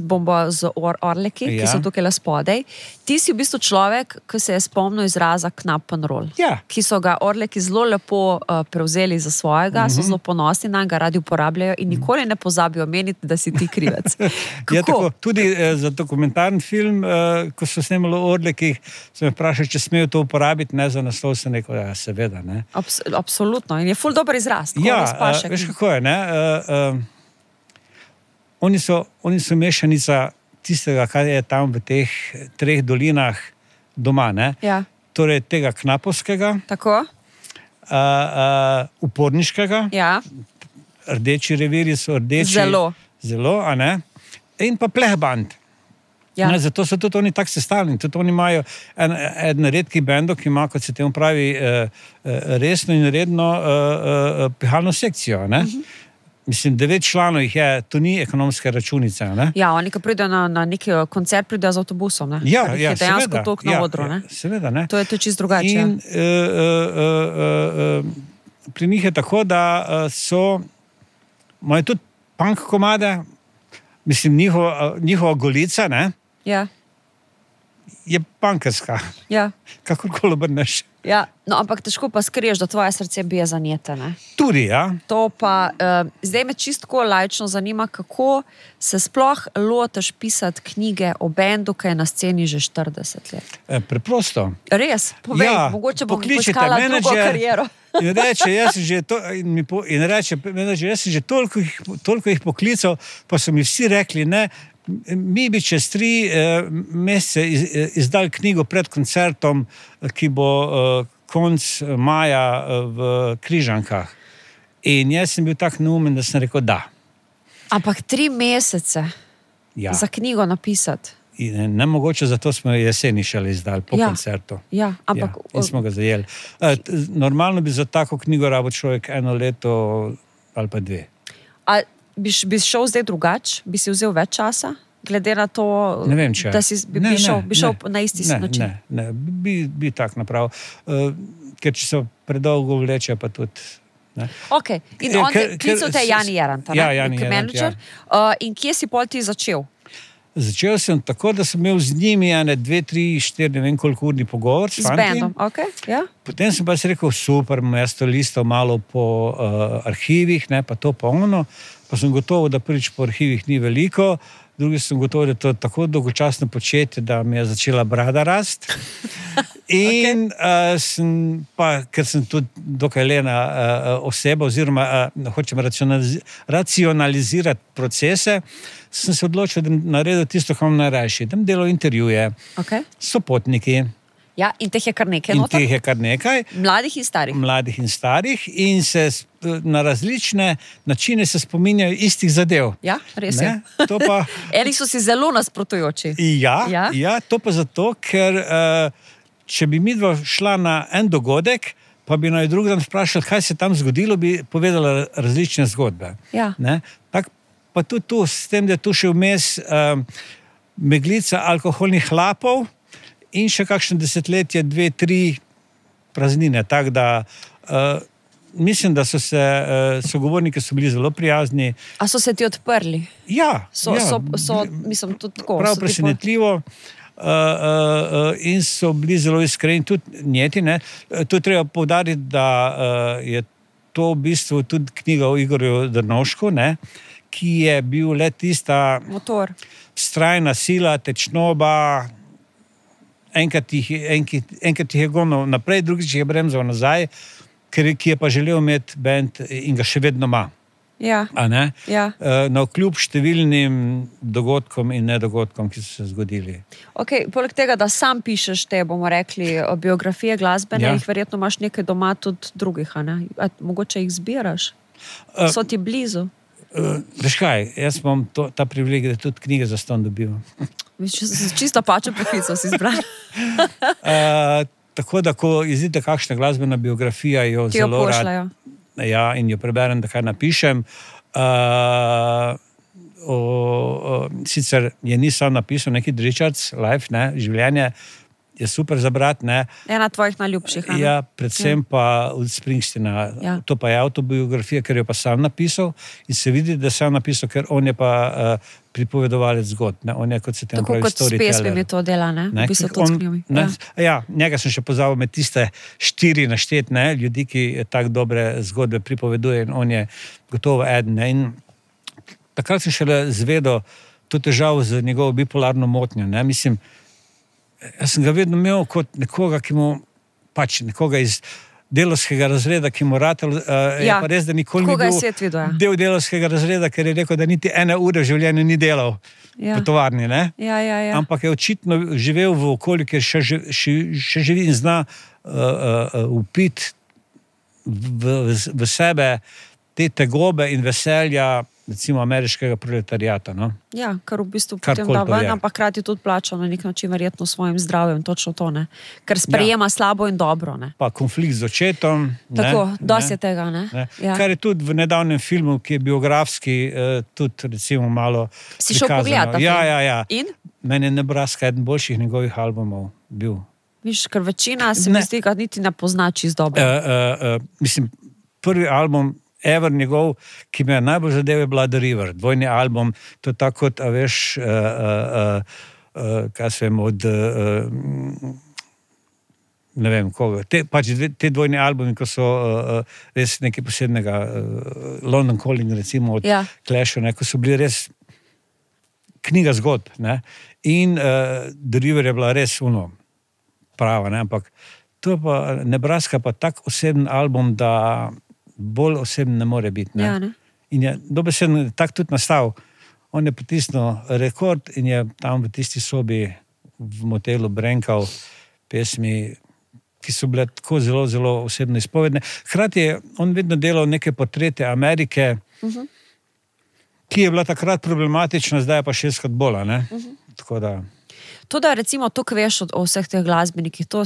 Orleki, ki so tukaj le spodaj. Ti si v bistvu človek, ki se je spomnil izraza knap and roll. Ja. Ki so ga Orleki zelo lepo prevzeli za svojega, so zelo ponosni na ga, radi uporabljajo in nikoli ne pozabijo omeniti, da si ti krivec. Ja, tako, tudi za dokumentarni film, ko so snemali o Orlekih, sem me vprašal, če smejo to uporabiti, ne za naslov, se neko, ja, seveda. Ne. Absolutno. In je ful dober izraz. Ja, veš kako je, ne? Oni so mešanica tistega, kar je tam v teh 3 dolinah doma. Ne? Ja. Torej tega knapovskega, tako. Uporniškega, ja. Rdeči revirji so rdeči. Zelo, a ne? In pa plehband. Ja. Ne, zato so tudi oni tako sestavljeni. Tudi oni imajo en redki bendov, ki ima, kot se temu pravi, resno in redno pihalno sekcijo. Ne? Mislim, 9 članov jih je, to ni ekonomska računica. Ne? Ja, oni, ki pridejo na neki koncert, pridejo z avtobusom. Ne? Ja, je dejansko toliko na odru. Ne? Seveda, ne. To je čisto drugače. In pri njih je tako, da imajo tudi punk komade, mislim, njihova golica, ne? Ja. Je punkerska. Ja. Kakorkoli obrneš. Ja, no, ampak težko pa skriješ, da tvoje srce bije za njete, ne? Tudi, ja. To pa, zdaj me čisto laično zanima, kako se sploh lotiš pisati knjige o bendu, ki je na sceni že 40 let. Preprosto. Res? Povej, ja, mogoče bom poiskala drugo kariero. In reče, jaz sem že toliko jih poklical, pa so mi vsi rekli, ne, mi bi čez 3 mesece izdali knjigo pred koncertom, ki bo konc maja v Križankah. In jaz sem bil tak neumen, da sem rekel da. Ampak 3 mesece za knjigo napisati? In nemogoče, zato smo jeseni šele izdali po koncertu. Ja, ampak... In smo ga zajeli. Normalno bi za tako knjigo rabo človek 1 leto ali pa 2. A bi šel zdaj drugače? Bi si vzel več časa? Glede na to, ne vem, če. Da si bi šel na isti način? Ne, bi tak napravil. Ker če so predolgo vleče, pa tudi... Ne. Ok, in on klical te Jani Jerant, ja, Jani Jerant, ja. In kje si pol ti začel? Začel sem tako, da sem imel z njimi 2, 3, 4, ne vem koliko urni pogovor s fanti. Bandom, ok, ja. Potem sem pa si rekel, super, jaz to listal malo po arhivih, ne, pa to pa ono. Pa sem gotovo, da prvič po arhivih ni veliko, drugi sem gotovo, da je to tako dolgočasno početje, da mi je začela brada rast. In ker sem tudi dokaj lena oseba, oziroma hočem racionalizirati procese, sem se odločil, da naredil tisto, kar imam najrajši. Da delal intervjuje, sopotniki. Ja, in teh je kar nekaj. In teh je kar nekaj. Mladih in starih. Mladih in starih. In se na različne načine se spominjajo istih zadev. Ja, res je. To pa... Eni so si zelo nasprotujoči. Ja, to pa zato, ker če bi midva šla na en dogodek, pa bi na drug dan vprašali, kaj se tam zgodilo, bi povedala različne zgodbe. Ja. Tak pa tudi tu, s tem, da je tu še vmes meglica alkoholnih hlapov, in še kakšno desetletje, 2, 3 praznine. Tako da mislim, da so se sogovorniki so bili zelo prijazni. A so se ti odprli? Ja. Mislim, tudi tako. Prav presenetljivo. In so bili zelo iskreni, tudi njeti. Ne. To je treba poudariti, da je to v bistvu tudi knjiga o Igorju Drnovšku, ne, ki je bil le tista motor, vztrajna sila, tečnoba. Enkrat jih je gonil naprej, drugič jih je bremzal nazaj, ki je pa želel imeti bend in ga še vedno ima. Ja. Ja. Navkljub številnim dogodkom in nedogodkom, ki so se zgodili. Ok, poleg tega, da sam pišeš te, bomo rekli, biografije glasbene, jih verjetno imaš nekaj doma tudi drugih, a ne? A mogoče jih zbiraš? So ti blizu? Veš kaj, jaz imam ta privilegij, da tudi knjige za ston dobivam. Čisto pačo poklical si izbral. Tako da, ko izide kakšna glasbena biografija, jo Ti jo zelo rad, pošljajo. ja, in jo preberem, da kaj napišem. Sicer je nisem napisal neki Richards Life, ne, življenje je super za brat, ne. Ena tvojih najljubših. a ne? Ja, predvsem pa od Springsteena. Ja. To pa je avtobiografija, ker jo pa sam napisal in se vidi, da sam napisal, ker on je pa pripovedovalec zgodb, ne. On je, kot se temu Tako pravi, kot s pesmimi storyteller. to dela, ne? V bistvu tudi s knjigami. Ne, Ja. ja, njega sem še pozabil med tiste 4 naštet, ne, ljudi, ki tako dobre zgodbe pripoveduje in on je gotovo eden. Ne. In takrat sem šele zvedel to težavo z njegovo bipolarno motnjo. Ne. Mislim, jaz sem ga vedno imel kot nekoga, ki mu pač nekoga iz delavskega razreda, ki mu ratel, je Ja, pa res, da nikoli ni tako ga je bil svet videl, ja. del delavskega razreda, ker je rekel, da niti 1 ure v življenju ni delal Ja. v tovarni, ne? Ja. Ampak je očitno živel v okolju, kjer še živi in zna upiti v sebe te tegobe in veselja, recimo ameriškega proletariata. No? Ja, kar v bistvu Karkoli potem da to ven, je. ampak krati tudi plača na nek način verjetno svojim zdravjem, točno to, ne. Ker sprejema slabo in dobro, ne. Pa konflikt z očetom. Tako, ne, dosti ne, je tega, ne. ne. Ja. Kar je tudi v nedavnem filmu, ki je biografski, tudi recimo malo Si šel prikazano. pogledat ta film? Ja. In? Meni je Nebraska eden boljših njegovih albumov bil. Viš, ker večina se mi Ne. zdi, ga niti ne pozna čisto dobro. Mislim, prvi album ever njegov, ki me je najbolj zadev, je bila The River, dvojni album, to je tako kot, a veš, kaj se vem, od ne vem koga, te dvojni albumi, ko so res nekaj posebnega, London Calling recimo od Ja. Clasha, ne, ko so bili res knjiga zgodb, ne, in The River je bila res prava, ne, ampak to pa Nebraska pa tak oseben album, da bolj oseben ne more biti. Ne. Ja, ne. In je dobesedno tak tudi nastal. On je potisnil rekord in je tam v tisti sobi v motelu brenkal pesmi, ki so bile tako zelo, zelo osebno izpovedne. Hkrati je on vedno delal neke portrete Amerike, ki je bila takrat problematična, zdaj je pa 6-krat bolj, ne. Tako da... To, da recimo to, kar veš o vseh teh glasbenikih, to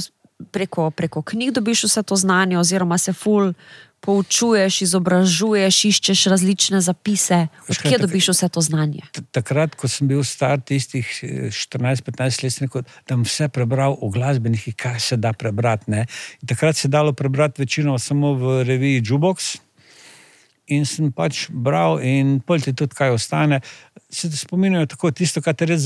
preko knjig dobiš vse to znanje, oziroma se ful poučuješ, izobražuješ, iščeš različne zapise. Odkje dobiš vse to znanje? Takrat, ko sem bil star, tistih 14-15 let, sem rekel, da bom vse prebral o glasbenikih, kaj se da prebrati. Ne? In takrat se je dalo prebrati večino samo v reviji Jukebox. In sem pač bral in pol ti tudi kaj ostane. Se te spominjajo tako, tisto, kar te res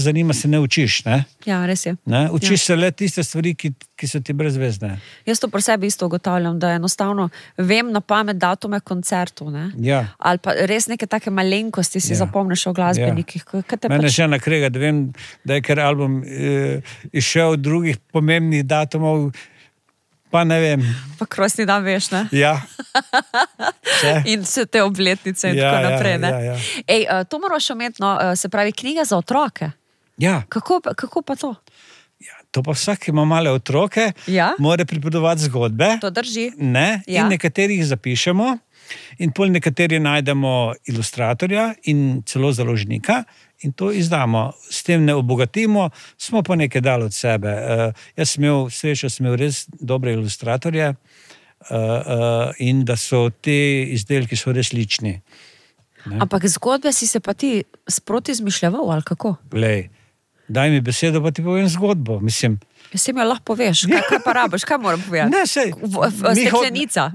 zanima, se ne učiš. Ne? Ja, res je. Ne? Učiš se le tiste stvari, ki so ti brezvezne. Jaz to pri sebi isto ugotavljam, da enostavno vem na pamet datume koncertov, ne? Ja. Ali pa res neke take malenkosti si zapomniš o glasbenikih. Mene žena krega, da vem, da je ker album išel od drugih pomembnih datumov, pa ne vem. Pa krosni dan veš, ne? Ja. In vse te obletnice in tako naprej, ne? Ja. Ej, to moraš imeti, no, se pravi, knjiga za otroke. Ja. Kako pa to? Ja, to pa vsak, ki ima male otroke, Ja. mora pripovedovati zgodbe. To drži. Ne? Ja. In nekaterih zapišemo, in pol nekateri najdemo ilustratorja in celo založnika in to izdamo. S tem ne obogatimo, smo pa nekaj dali od sebe. Jaz sem imel srečo, sem imel res dobre ilustratorje in da so te izdelki so res lični. Ampak zgodbe si se pa ti sproti izmišljeval, ali kako? Glej, daj mi besedo, pa ti povem zgodbo. Mislim, Jaz si mi jo lahko poveš, kaj pa rabiš, kaj moram povedati? ne, sej, Steklenica.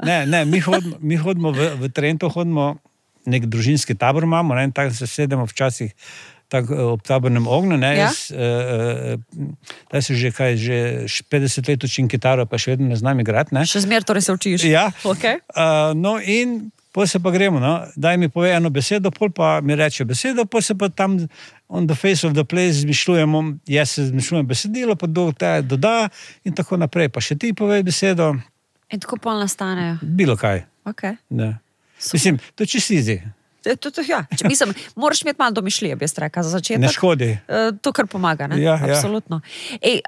Mi hodimo v Trento, hodimo nek družinski tabor imamo, ne, in tako se sedemo včasih tako ob tabornem ognju, ne, Ja. Zdaj se že 50 let učim kitaro, pa še vedno ne znam igrati, ne. Še zmer torej se učiš. Ja. Okay. No in pol se pa gremo, no. Daj mi pove eno besedo, pol pa mi reče besedo, pol se pa tam on the face of the place izmišljujemo, jaz se izmišljujem besedilo, pa doda in tako naprej, pa še ti povej besedo, In tako pol nastanejo. bilo kaj. Okay. Ne. Mislim, to je čisto easy, Ja. Mislim, moraš imeti malo domišljije, bi jaz rekla, za začetek. ne škodi. To, kar pomaga, ne? Ja. Absolutno. Ej,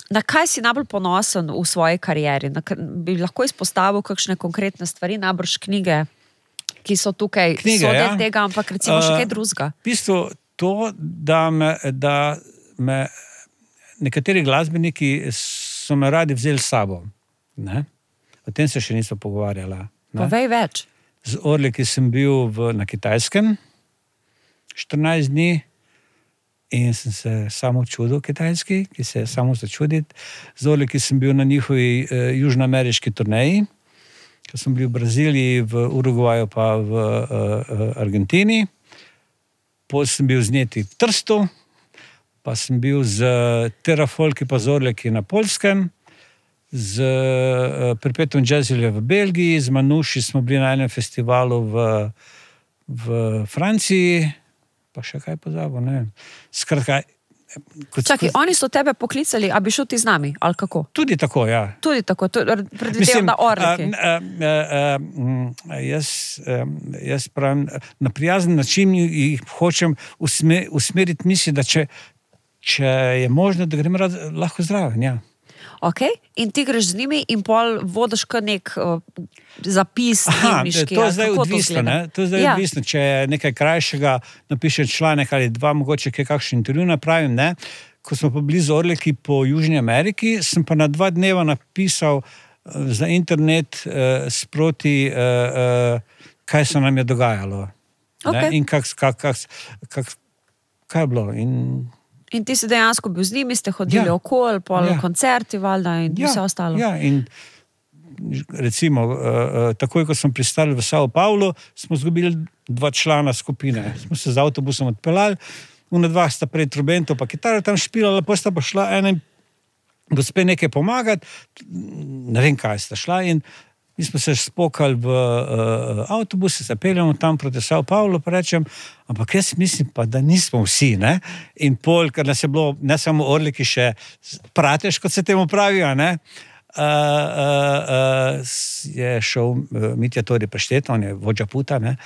na kaj si najbolj ponosen v svoji karieri? Bi lahko izpostavil kakšne konkretne stvari, najbrž knjige, ki so tukaj, Knjige, so del ja. tega, ampak recimo še kaj drugega. V bistvu to, da me nekateri glasbeniki so me radi vzeli s sabo. Ne? O tem se še nismo pogovarjala. Ne? Povej več. Z Orliki sem bil na Kitajskem 14 dni in sem se samo čudil kitajski, ki se je samo začuditi. Z Orliki sem bil na njihovi južnoameriški turneji, ko sem bil v Braziliji, v Urugvaju pa v Argentini. Potem sem bil z Njeti v Trstu, pa sem bil z Terrafolki pa z Orliki na Poljskem, z Perpetuum Jazzile v Belgiji, z Manuši smo bili na enem festivalu v Franciji, pa še kaj pozabil, ne vem. Skratka, Čakaj, oni so tebe poklicali, a bi šel ti z nami, ali kako? Tudi tako, ja. Tudi tako, predvidevam, da Orliki. Jaz pravim, na prijazen način jih hočem usmeriti misli, da če je možno, da grem lahko zraven, ja. Ok, in ti greš z njimi in pol vodiš kar nek zapis dnevniški. To je zdaj odvisno, ne? To je zdaj Ja. odvisno, če je nekaj krajšega, napišem članek ali dva, mogoče kaj kakšen intervju napravim, ne? Ko smo pa bili z Orliki po Južni Ameriki, sem pa na 2 dneva napisal za internet sproti, kaj se nam je dogajalo. Ne? Ok. In kaj je bilo. In ti si dejansko bil z njimi, ste hodili okoli, pol koncerti, valjda, in vse ostalo. Ja, in recimo, takoj, ko smo pristali v Sao Paulo, smo izgubili 2 člana skupine. Smo se z avtobusom odpeljali, ona 2 sta pred trubento pa kitaro tam špilala, potem sta pa šla ena gospe nekaj pomagati, ne vem, kaj sta šla, in mi smo se spokali v avtobus, se peljamo tam proti Sao Paulo, pa rečem, ampak jaz mislim pa, da nismo vsi, ne? In pol, ker nas je bilo, ne samo Orliki, še pratež, kot se temu pravijo, ne? Je šel Mitja Tori Preštet, on je vodja puta, ne?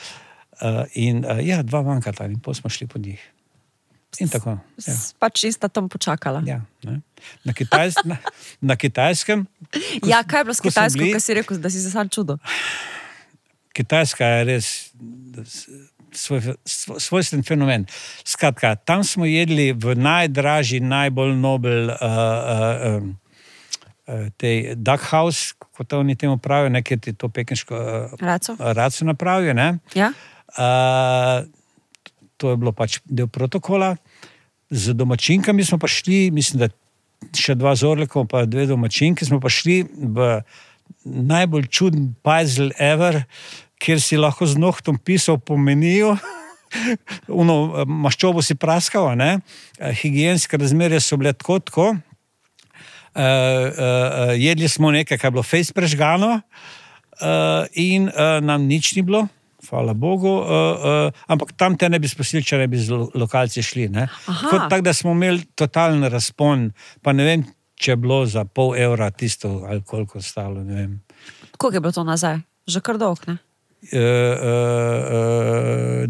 In 2 manjkata in pol smo šli po njih. In tako. Ja. Pač ista tam počakala. Ja, ne? Na Kitajskem. Ja, kaj je bilo s Kitajsko, bili, kaj si rekel, da si se sam čudil? Kitajska je res svojstven fenomen. Skratka, tam smo jedli v najdražji, najbolj nobel tej duck house, kot oni temu pravijo, nekaj ti to pekinško raco napravijo, ne? Ja. To je bilo pač del protokola. Z domačinkami smo pa šli, mislim, da še 2 z Orlikom, pa 2 domačinki, smo pa šli v najbolj čuden puzzle ever, kjer si lahko z nohtom pisal po meniju, maščobo si praskal, ne? Higienske razmere so bile tako. Jedli smo nekaj, kaj je bilo fejst prežgano, in nam nič ni bilo. Hvala Bogu, ampak tam te ne bi spustili, če ne bi z lokalci šli. Ne? Tako da smo imeli totalen razpon, pa ne vem, če je bilo za pol evra tisto, ali koliko ostalo, ne vem. Koliko je bilo to nazaj? Že kar dolg, ne? 208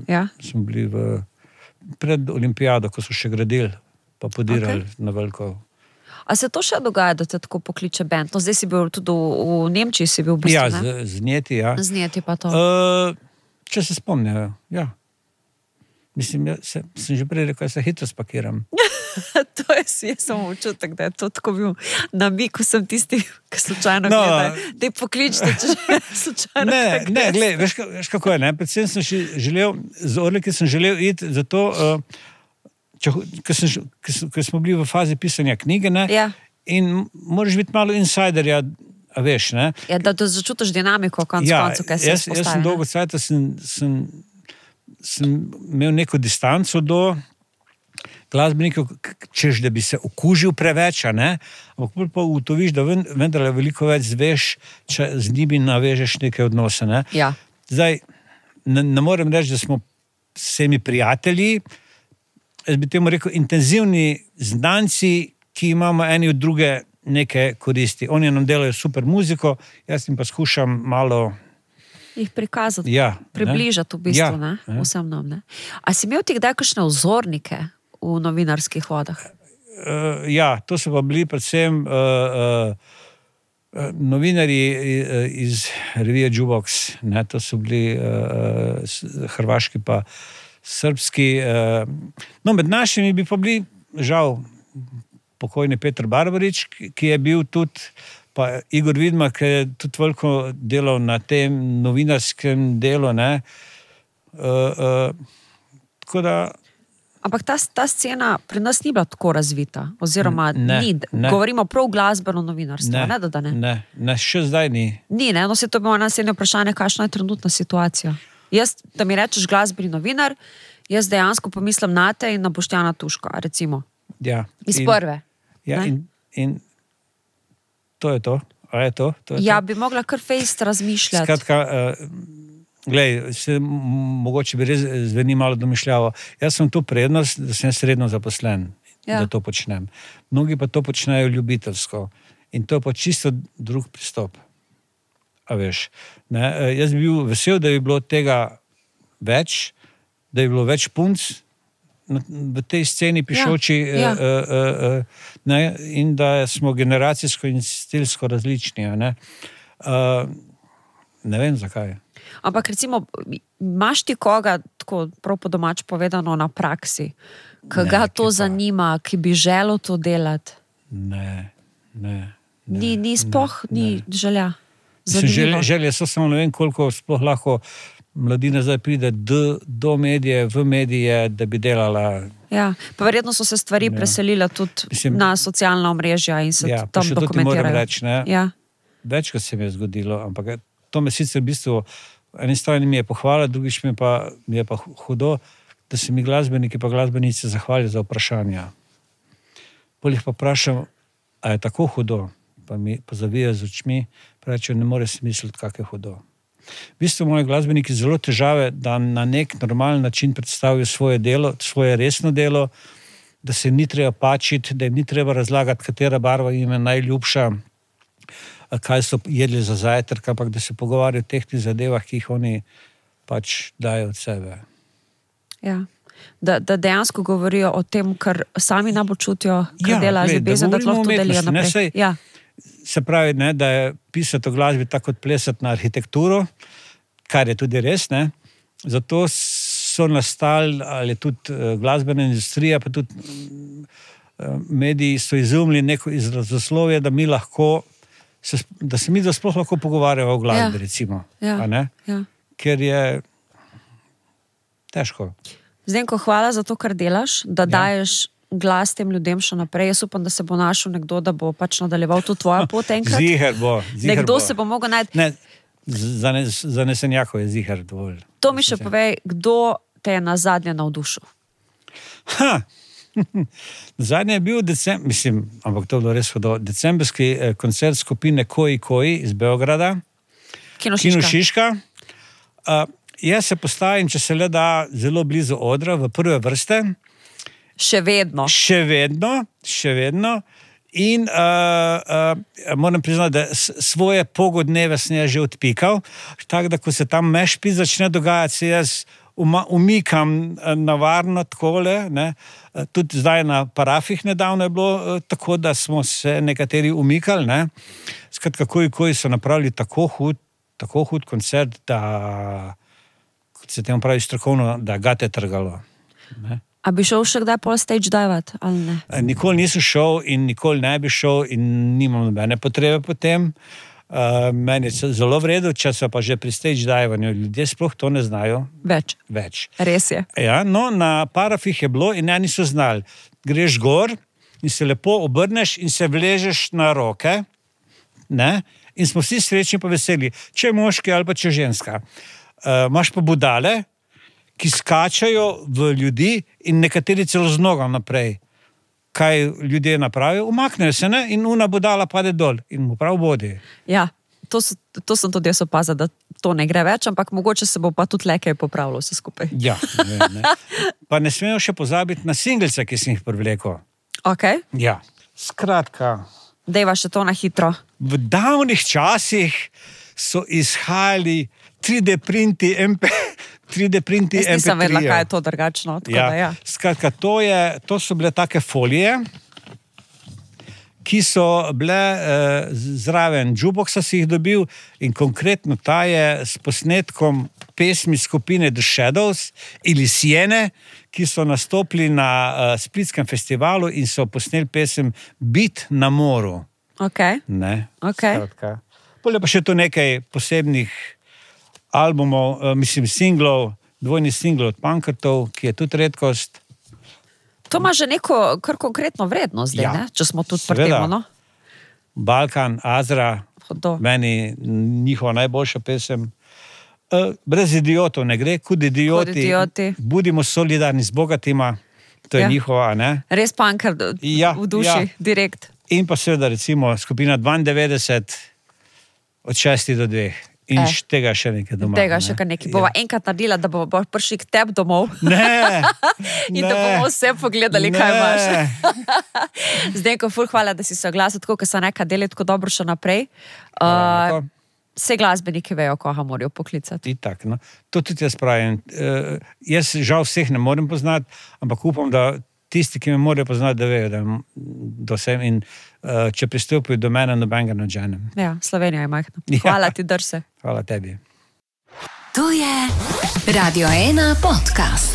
Ja. smo bili pred olimpijado, ko so še gradili, pa podirali na veliko. A se to še dogaja, da te tako pokliče band? No, zdaj si bil tudi v Nemčiji, si bil v bistvu, ne? Ja, z Njeti, ja. Z Njeti pa to. Če se spomnijo, ja. Mislim, sem že prej rekel, da se hitro spakiram. To je samo občutek, da je to tako bil namig, ko sem tisti, ki slučajno gledaj. Te pokličite, če slučajno Ne, gled, veš kako je, ne? Predvsem sem želel, z Orliki sem želel iti zato, ker smo bili v fazi pisanja knjige, ne? Ja. In moraš biti malo insiderja, a veš, ne? Ja, da začutiš dinamiko, koncu, kaj se Jaz sem dolgo cajta sem imel neko distanco do glasbenikov, češ, da bi se okužil preveč, ne? Ampak pa ugotoviš, da vendar veliko več zveš, če z njimi navežeš neke odnose, ne? Ja. Zdaj, ne morem reči, da smo vsemi prijatelji, jaz bi temu rekel, intenzivni znanci, ki imamo eni od druge neke koristi. Oni nam delajo super muziko, jaz jim pa skušam malo jih prikazati, ne? približati v bistvu, Ja, ne? Vsem nam, ne? A si imel ti kdaj kakšne vzornike v novinarskih vodah? Ja, to so pa bili predvsem novinarji iz revije Jukebox, ne, to so bili hrvaški pa srbski. No, med našimi bi pa bili, žal, pokojni Petar Barbarič, ki je bil tudi, pa Igor Vidmar, ki je tudi veliko delal na tem novinarskem delu, ne. Tako da... Ampak ta scena pri nas ni bila tako razvita, oziroma ni. Govorimo prav glasbeno novinarstvo, ne? Ne, še zdaj ni. Ni, ne? No, se to bi imamo naslednje vprašanje, kakšna je trenutna situacija. Jaz, da mi rečeš glasbeni novinar, jaz dejansko pomislim na te in na Boštjana Tuška, recimo. Ja. Iz prve. Ja, in to je to. A je to? Ja, bi mogla kar fejst razmišljati. Skratka, glej, mogoče bi res zveni malo domišljavo. Jaz sem to prednost, da sem sredno zaposlen, da to počnem. Mnogi pa to počnejo ljubiteljsko. In to je pa čisto drug pristop. A veš, ne? Jaz bi bil vesel, da bi bilo tega več, da bi bilo več punc v tej sceni pišoči, ne? In da smo generacijsko in stilsko različni. Ne vem, zakaj. Ampak recimo, imaš ti koga, tako prav po domač povedano, na praksi, ki ga to zanima, ki bi želel to delati? Ne. Ni sploh, ni želja. Želje so samo, ne vem, koliko sploh lahko mladina zdaj pride do medije, v medije, da bi delala. Ja, pa verjetno so se stvari preselile tudi na socialna omrežja in se tam dokumentirajo. To ti moram reči, ne? Ja. Večkrat se mi je zgodilo, ampak to me sicer v bistvu, eni strani mi je pohvala, drugič mi je pa hudo, da se mi glasbeniki pa glasbenice zahvalijo za vprašanja. Polih pa vprašam, a je tako hudo? Pa mi pozavijo z očmi, pravijo, ne more si misliti, kak je hudo. V bistvu moji glasbeniki zelo težave, da na nek normalen način predstavijo svoje delo, svoje resno delo, da se ni treba pačiti, da jim ni treba razlagati, katera barva jim je najljubša, kaj so jedli za zajtrk, ampak da se pogovarjajo o teh zadevah, ki jih oni pač dajo od sebe. Ja. Da dejansko govorijo o tem, kar sami najbolj čutijo, kar dela z ljubezen, da lahko to delijo naprej. Se pravi, ne, da je pisati o glasbi tako kot plesati na arhitekturo, kar je tudi res, ne. Zato so nastali, ali tudi glasbena industrija, pa tudi mediji so izumili neko izrazoslovje, da mi lahko da se mi sploh lahko pogovarjamo o glasbi, recimo. A ne? Ker je težko. Zdenko, hvala za to, kar delaš, da daješ glas tem ljudem še naprej. Jaz upam, da se bo našel nekdo, da bo pač nadaljeval to tvojo pot enkrat. Ziher bo. Nekdo se bo mogel najti. Ne, za nesenjakov je ziher dovolj. To mi še povej, kdo te je nazadnje navdušil? Zadnje je bil ampak to je bilo res hudo, decembrski koncert skupine Koji iz Beograda, Kino Šiška. Jaz se postavim, če se le da, zelo blizu odra, v prve vrste. Še vedno. In moram priznati, da svoje pogodneve sem že odpikal, tako da ko se tam mešpi začne dogajati, se jaz umikam na varno takole, ne. Tudi zdaj na parafih nedavno je bilo tako, da smo se nekateri umikali, ne. Skratka, Koji so napravili tako hud koncert, da, kot se temu pravi strokovno, da ga te trgalo. Ne. A bi šel še kdaj pol stage divat, ali ne? Nikoli nisem šel in nikoli ne bi šel in nimam nobene potrebe po tem. Meni je zelo v redu, če so pa že pri stage divanju, ljudje sploh to ne znajo. Več. Res je. Ja, no, na parafih je bilo in eni so znali. Greš gor in se lepo obrneš in se vležeš na roke, ne? In smo vsi srečni pa veseli. Če je moški ali pa če je ženska. Imaš pa budale, ki skačajo v ljudi in nekateri celo z nogam naprej. Kaj ljudje napravijo? Umaknejo se, ne? In una budala pade dol in mu prav bodi. Ja, to sem tudi jaz opazila, da to ne gre več, ampak mogoče se bo pa tudi le kaj popravilo vse skupaj. Ja, ne. Pa ne smemo še pozabiti na singlice, ki sem jih privlekel. Ok. Ja, skratka. Dejva še to na hitro. V davnih časih so izhajali 3D printi MP3. Jaz nisem vedela, kaj je to drugačno. Ja. Skratka, to so bile take folije, ki so bile zraven jukeboxa, si jih dobil, in konkretno ta je s posnetkom pesmi skupine The Shadows ili Siene, ki so nastopili na Splitskem festivalu in so posneli pesem Bit na moru. Okay. Ne? Okay. Bolje pa še tu nekaj posebnih albumov, singlov, dvojni singl od Pankrtov, ki je tudi redkost. To ima že neko kar konkretno vrednost zdaj, ne? Če smo tudi pri tem, no? Balkan, Azra, meni njihova najboljša pesem. Brez idiotov ne gre, kud idioti. Budimo solidarni z bogatima, to je njihova, ne? Res Pankrt v duši, direkt. In pa seveda recimo skupina 92 od 6 do 2. In tega še nekaj doma. Tega še nekaj. Bova enkrat naredila, da bo prišli k tebi domov. Ne. In da bomo vse pogledali, kaj imaš. Zdenko, ful, hvala, da si se oglasil tako, ker so neka deli tako dobro še naprej. Vse glasbeniki vejo, koga morajo poklicati. Itak, no. To tudi jaz pravim. Jaz žal vseh ne morem poznati, ampak upam, da tisti, ki me morajo poznati, da vejo, da vsem in če pristopijo do mene, nobenega nadženem. Ja, Slovenija je majhna. Hvala ti, drse. Hvala tebi. To je Radio 1 podcast.